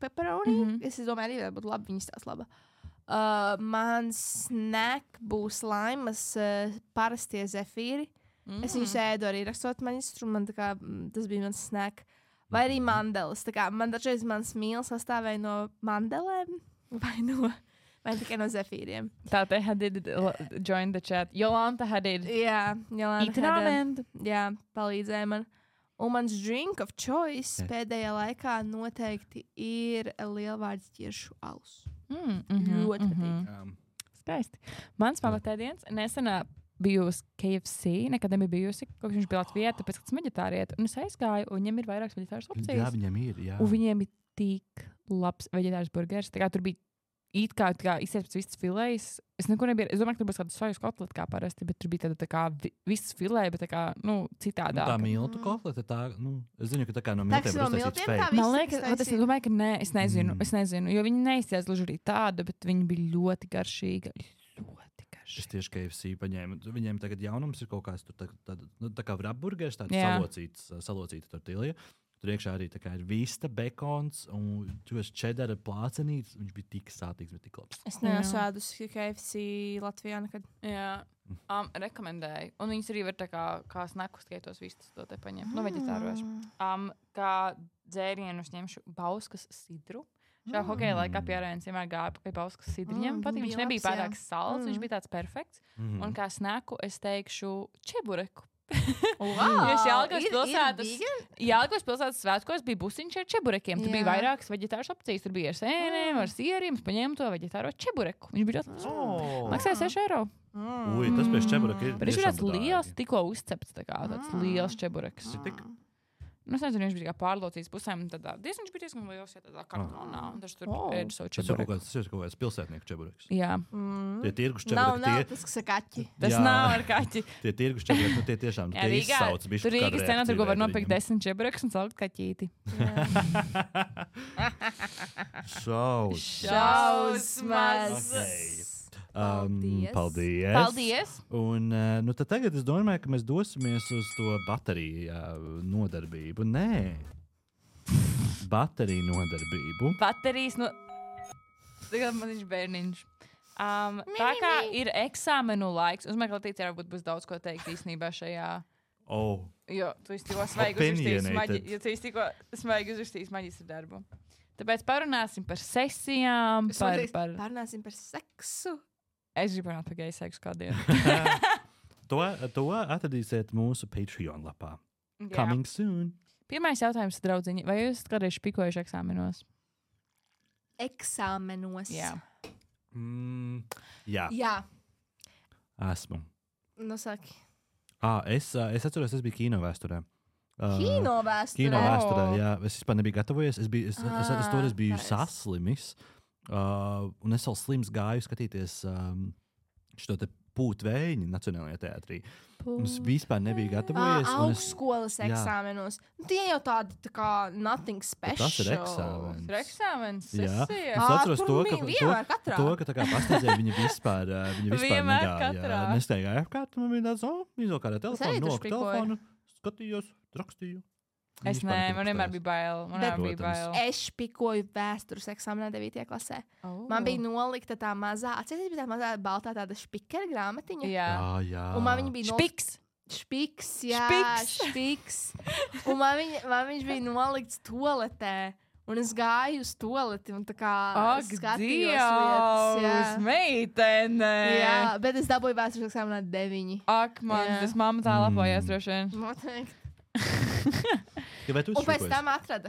pepperoni. Es domāju, arī būtu labi, viņas tās laba. Mans snack būs laimas parastie zefīri. Es viņus ēdu arī rakstot maģistru, man tā kā tas bija mans snack. Vai arī mandeles. Tā kā man dažreiz mans mīls sastāvēja no mandelēm vai tikai no zefīriem. Tāte Hadid join the chat. Jolanta Hadid. Jā, Jolanta Hadid. Jā, palīdzēja man. Un mans drink of choice pēdējā laikā noteikti ir lielvārds ķiršu alus. Ļoti patīk. Skaisti. Mans pamatēdiens nesenā bijusi KFC, nekad nebija bijusi, kopš viņš bija Latvijā, tāpēc, ka tas veģetārieti. Un es aizgāju, un viņiem ir vairākas veģetāras opcijas. Jā, viņiem ir, jā. Un viņiem ir tik labs veģetārs burgers. Tā kā tur bija it kā izsies pēc vistas filējas. Es nekur nebiju, es domāju, ka tur būs kāda sojas kotleta kā parasti, bet tur bija tāda tā kā vistas filēja, bet tā kā, citādāk. Tā miltu kotleta, es zinu, ka tā kā no miltiem ir uztaisīts fake. Man liekas, es domāju, ka nē, es nezinu, jo viņi neizsies gluži arī tāda, bet viņi bija ļoti garšīga. Es tieši KFC paņēmu. Viņiem tagad jaunums ir kaut kāds tā kā wrapburgers, tāds salocīta tortilja. Tur iekšā arī tā kā ir vista, bekons un čedara plācenīts. Viņš bija tik sātīgs, bet tik labs. Es neesmu ēdusi KFC Latvijā nekad. Jā. Rekomendēju. Un viņas arī var tā kā snakus, tikai tos vistas to te paņemt. Veģetāros. Kā dzērienus ņemšu bauskas sidru. Šā hokeja laikā Pierēns vienmēr gāja pie bauskas sidriņiem. Viņš nebija pārāk salds, viņš bija tāds perfekts. Un kā snaku es teikšu čebureku. Jelgavas pilsētas svētkos bija busiņš ar čeburekiem. Tur bija vairākas veģetāras opcijas. Tur bija ar sēnēm, ar sieriem. Es paņēmu to veģetāro čebureku. Viņš bija ļoti maksāja 6 eiro. Ui, tas pēc čebureka ir. Bet viņš ir tāds liels, tikko uzcepts, tāds liels čebureks. Es nezinu, viņš bija pārlocīts pusēm. Viņš bija diezgan liels, ja tādā kartonā. Un tas tur ēda savu čebureku. Tas ir kaut kāds pilsētnieku čebureks. Jā. Tie tirgus čebureki. Nav tas, kas ir kaķi. Tas nav ar kaķi. Tie tirgus čebureki, tie tiešām tie izsauc. Tur Rīgas cenā tur var nopirkt 10 čebureks un salikt kaķīti. Šausmas! Paldies! Un tad tagad es domāju, ka mēs dosimies uz to bateriju nodarbību. Nē, bateriju nodarbību. Baterijas Tagad man viņš bērniņš. Tā kā ir eksāmenu laiks, uzmanīgi, Latīcija varbūt būs daudz ko teikt īstenībā šajā. Jo tu tikko svaigi uzrakstījis maģistra darbu. Tāpēc parunāsim par sesijām, parunāsim par seksu. Es gribu runāt par geju seksu kādiem. To atradīsiet mūsu Patreon lapā. Coming soon. Pirmais jautājums, draudziņi. Vai jūs kādreiz špikojuši eksāmenos? Eksāmenos? Jā. Jā. Esmu. Nu, saki. Es atceros, es biju kino vēsturē. Kino vēsturē, jā. Es vispār nebiju gatavojies. Es toreiz biju saslimis. Un es vēl slims gāju skatīties šo te Pūtvējiņu Nacionālajā teātrī. Es vispār nebiju gatavojies. Augstskolas eksāmenos. Tie jau tādi tā kā nothing special. Tas ir eksāmens. Ir eksāmens. Jā. Es atceros to, ka tā kā pastādzēja viņa vispār negāja. Nestaigāja apkārt. Man bija tāds, izolkārā telefonu, skatījos, rakstīju. Es nē, man vienmēr bija bail. Es špikoju vēstures eksāmenā 9. klasē. Man bija nolikta tā mazā, atcerieties, bija tā mazā baltā tāda špikera grāmatiņa. Jā. Un man viņa bija Špiks. Un man viņš bija nolikts toaletē. Un es gāju uz toaleti un tā kā skatījos lietas. Jā, meitene! Jā, bet es dabūju vēstures eksāmenā 9. Ak, man, tas mamma tā lapojās droši vien. Noteikti. Un pēc tam atrada.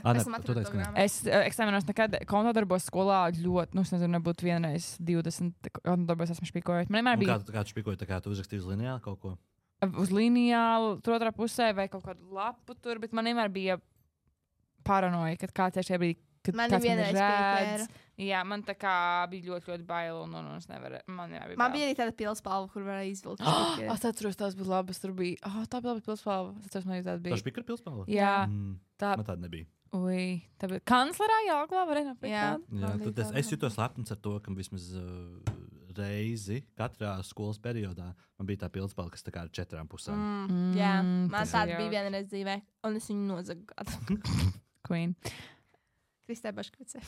Es eksāmenos nekad kontodarbos skolā ļoti, es nezinu, nebūtu vienreiz 20 kontodarbos esmu špikojot. Man vienmēr bija... Kā tu špikoji, kā tu uzrakstīji uz lineālu kaut ko? Uz lineālu, tur otrā pusē vai kaut kādu lapu tur, bet man vienmēr bija paranoja, kad kāds ir šajā brīdī, kad man kāds man redz. Jā, man tā kā bija ļoti, ļoti bail un es nevaru. Man bija arī tāda pilspalva, kur varēja izvilkt. Es atceros, tās bija labas. Tur bija, tā bija laba pilspalva. Es atceros, man arī tāda bija. Tā špikara pilspalva? Jā. Man tāda nebija. Ui, tā bija kanclerā Jāglā, varēja nopirkt. Jā, tad es jutos lepns ar to, ka vismaz reizi katrā skolas periodā man bija tā pildspalva, kas tā kā ar 4 pusēm. Jā, man tāda bija vienreiz dzīvē, un es viņu nozagu gadu. Queen. Kristē Baškvicē.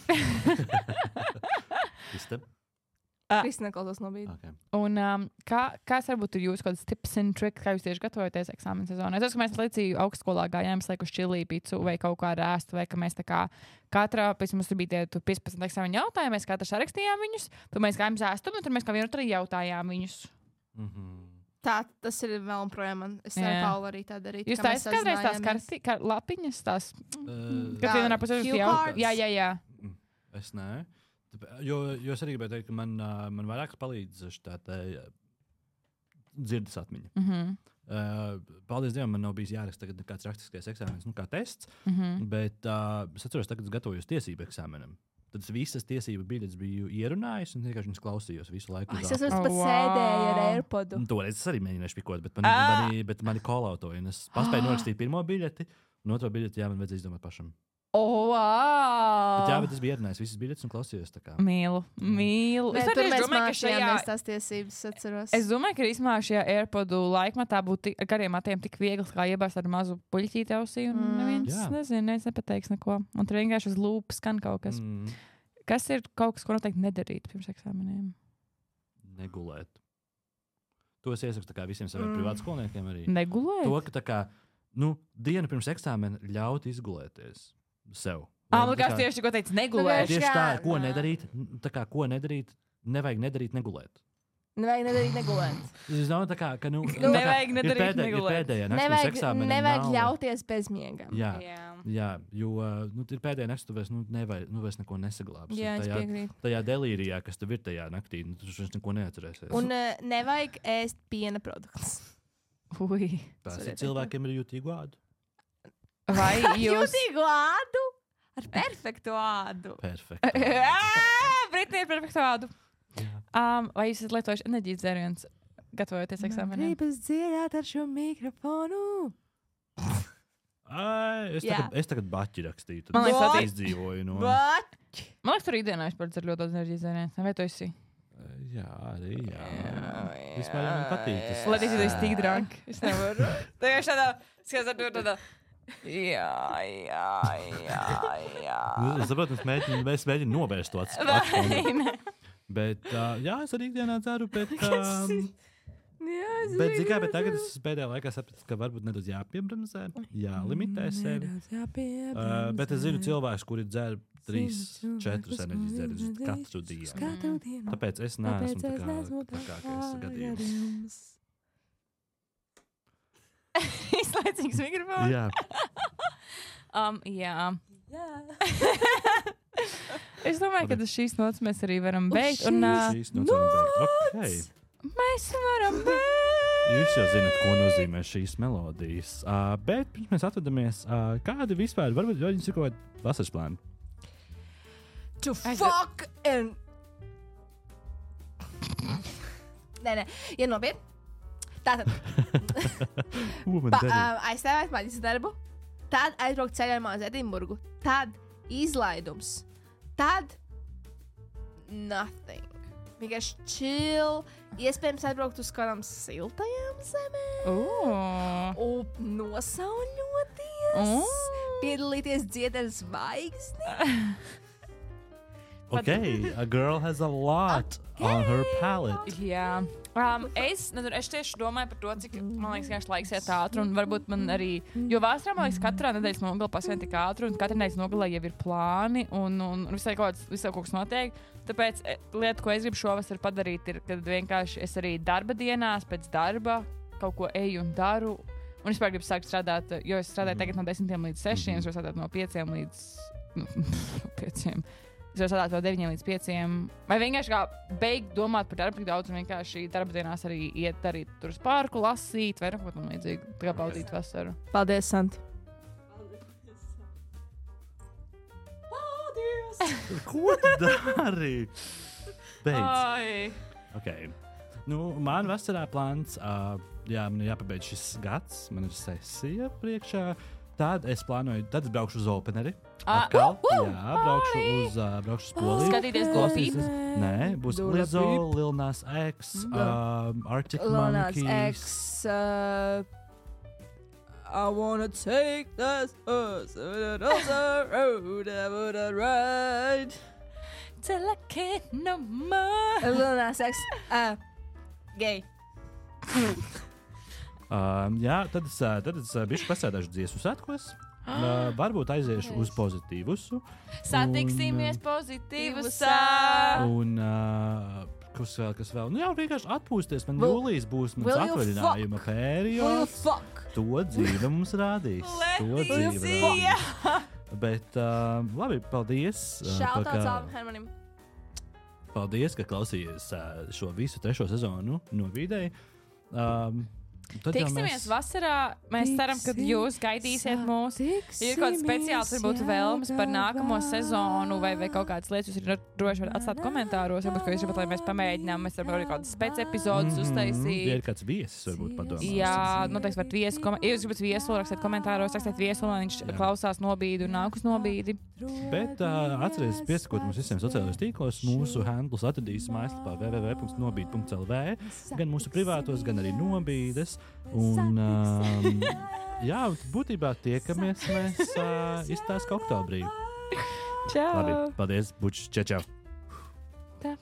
Kristina klausos no brīdi. Okay. Un kāds varbūt ir jūsu kāds tips and tricks, kā jūs tieši gatavojaties eksāmena sezonā? Es domāju, ka mēs līdzīgi augstskolā gājām, slēguši čilī picu vai kaut kā rēstu, vai ka mēs tā kā katrā, pēc mums bija tie 15 eksāmena jautājumi, mēs katrs sarakstījām viņus, tad mēs gājām zēstumu, un tur mēs kā vienu arī jautājām viņus. Tā, tas ir vēl un projām. Es ar Paulu arī tā darīju. Jūs taisat kādreiz tās lapiņas, tās, kad vienā pusē jūs jautājat? Jā. Es nē. Jo es arī gribēju teikt, ka man vairāk palīdz šī dzirdes atmiņa. Paldies Dievam, man nav bijis jāraksta kāds rakstiskais eksāmenis, kā tests, bet es atceros, tagad es gatavojos tiesību eksāmenam. Tad es visas tiesību biļetes biju ierunājis un vienkārši klausījos visu laiku. Es pat sēdēju ar AirPodu. Toreiz es arī mēģināju špikot, bet mani kolautoja. Es paspēju norakstīt pirmo biļeti, un otro biļeti man vajadzēja izdomāt pašam. Wow! Bet es biju ierunājis visas biļetes un klausījos. Mīlu. Es domāju, ka šajās tiesības atceros. Es domāju, ka īstenībā šajā AirPodu laikmatā būtu ar gariem matiem tik viegli, kā iebāzt ar mazu puļķīti ausī, un neviens nepateiks neko. Un tur vienkārši uz lūpas skan kaut kas. Kas ir kaut kas, ko noteikti nedarīt pirms eksāmeniem? Negulēt. To es iesaku visiem saviem privātskolniekiem arī. Negulēt? To, ka tā kā, dienu pirms eksāmena ļaut izgulēties sev. Man liekas, tieši ko teica negulēt. Tieši tā, ko nedarīt, nevajag nedarīt negulēt. Nevajag nedarīt negulēt. Es domāju, ka nevajag nedarīt negulēt. Nevajag ļauties bezmiegam. Jā, jo ir pēdējā naktī, tu vairs neko nesaglābsi. Jā, es piekrītu. Tajā delīrijā, kas tev ir tajā naktī, tu vairs neko neatcerēsies. Un nevajag ēst piena produktus. Cilvēkiem ir jūtīgu ādu. Vai jūs jūtīgu ādu? Ar perfektu ādu. Perfektu. Britnija ir perfektu ādu. Vai jūs esat lietojuši enerģijas dzērienus, gatavojoties eksāmeniem? Gribas dziedāt ar šo mikrofonu. Es tagad baķi rakstīju. Man liekas, tas izdzīvoju no. Baķi! Man liekas, tur ikdienā es par ļoti daudz enerģijas dzērienus. Vai tu esi? Jā, arī. Vispār man patīk. Lai tas ir tik drunk. Es nevaru. Tā jau šādā. Jā. Es saprotu, es mēģinu novērst to atskatu. Bet, es arī ikdienā dzeru, bet tagad es pēdējā laikā sapratu, ka varbūt nedaudz jāpiebremzē, jālimitē sevi. Bet es zinu cilvēkus, kuri dzer 3-4 enerģijas dzērienus katru dienu. Tāpēc es neesmu trakākais gadījums. Izlaicīgs mikrofons. Jā. Jā. Es domāju, ka šīs nots mēs arī varam beigt. Šīs nots varam beigt. Okay. Mēs varam beigt. Jūs jau zināt, ko nozīmē šīs melodijas. Bet pirms mēs atvadamies, kādi vispār, varbūt jums ir kaut kādi vasaras plāni? To fuck and... Nē, ja nopietni. Tātad aizstāvēt maģis darbu, tad aizbraukt ceļojumā uz Edinburgu, tad izlaidums, tad nothing. Vienkārši chill, iespējams atbraukt uz kādām siltajām zemēm, nosauļoties, piedalīties dziedāt zvaigzni. Okay, a girl has a lot on her palette. Jā. Es tieši domāju par to, cik, man liekas, laiks iet ātri, un varbūt man arī, jo vasarā, man liekas, katrā nedēļas nogalē pasvien tik ātri, un katra nedēļas nogalē jau ir plāni, un visai kaut kas notiek. Tāpēc lieta, ko es gribu šovasar padarīt, ir, kad vienkārši es arī darba dienās, pēc darba kaut ko eju un daru, un es gribu sākt strādāt, jo es strādāju tagad no 10 līdz 6, es varu strādāt no 5 līdz 5. Es varu strādāt no 9 līdz 5. Vai vienkārši kā beigt domāt par darbu tik daudz, un vienkārši darba dienās arī iet arī tur uz parku, lasīt, vai kaut ko tam līdzīgu. Tā kā baudīt vasaru. Paldies, Santi. Ko tu dari? Beidz. Okay. Man vasarā plāns, man ir jāpabeidz šis gads, man ir sesija priekšā. tad es plānoju, tad es braukšu uz Openeri. Atkal, jā, braukšu uz Poliju. Skatīties Glopību? Nē, būs Lizzo, Lil Nas X, Arctic Monkeys. I wanna take this horse on the road, I wanna ride till I can't no more. Lil Nas X, gay. Jā, tad es bišķi pasēdāšu dziesmu svētkos. Varbūt aiziešu uz pozitīvusu. Satiksimies pozitīvusā. Un kas vēl? Nu jā, vienkārši atpūsties. Man jūlijas būs mans atvaļinājuma periods. To dzīve mums rādīs. Bet labi, paldies. Shoutouts Alvim Hermanim. Paldies, ka klausījies šo visu 3. sezonu no Vidēji. Tiksimies vasarā. Mēs ceram, ka jūs gaidīsiet mūs. Ir kaut kāds speciāls, varbūt vēlmes par nākamo sezonu vai kaut kādas lietas. Jūs arī droši varat atstāt komentāros. Varbūt, ka jūs gribat, lai mēs pamēģinām. Mēs varam arī kādas spec epizodes uztaisīt. Ja ir kāds viesis, varbūt padomāt. Jā, noteikti varat viesu. Ja jūs gribat viesulu, rakstiet komentāros, rakstiet viesulu, lai viņš klausās nobīdi un nāk uz nobīdi. Bet atcerieties, piesakot mums visiem sociālajos tīklos, mūsu handlus atradīs mājaslapā www.nobīd.lv, gan mūsu privātos, gan arī nobīdes. Un, jā, būtībā tiekamies mēs izstāst oktobrī. Čau! Labi, paldies, bučs, čau! Tā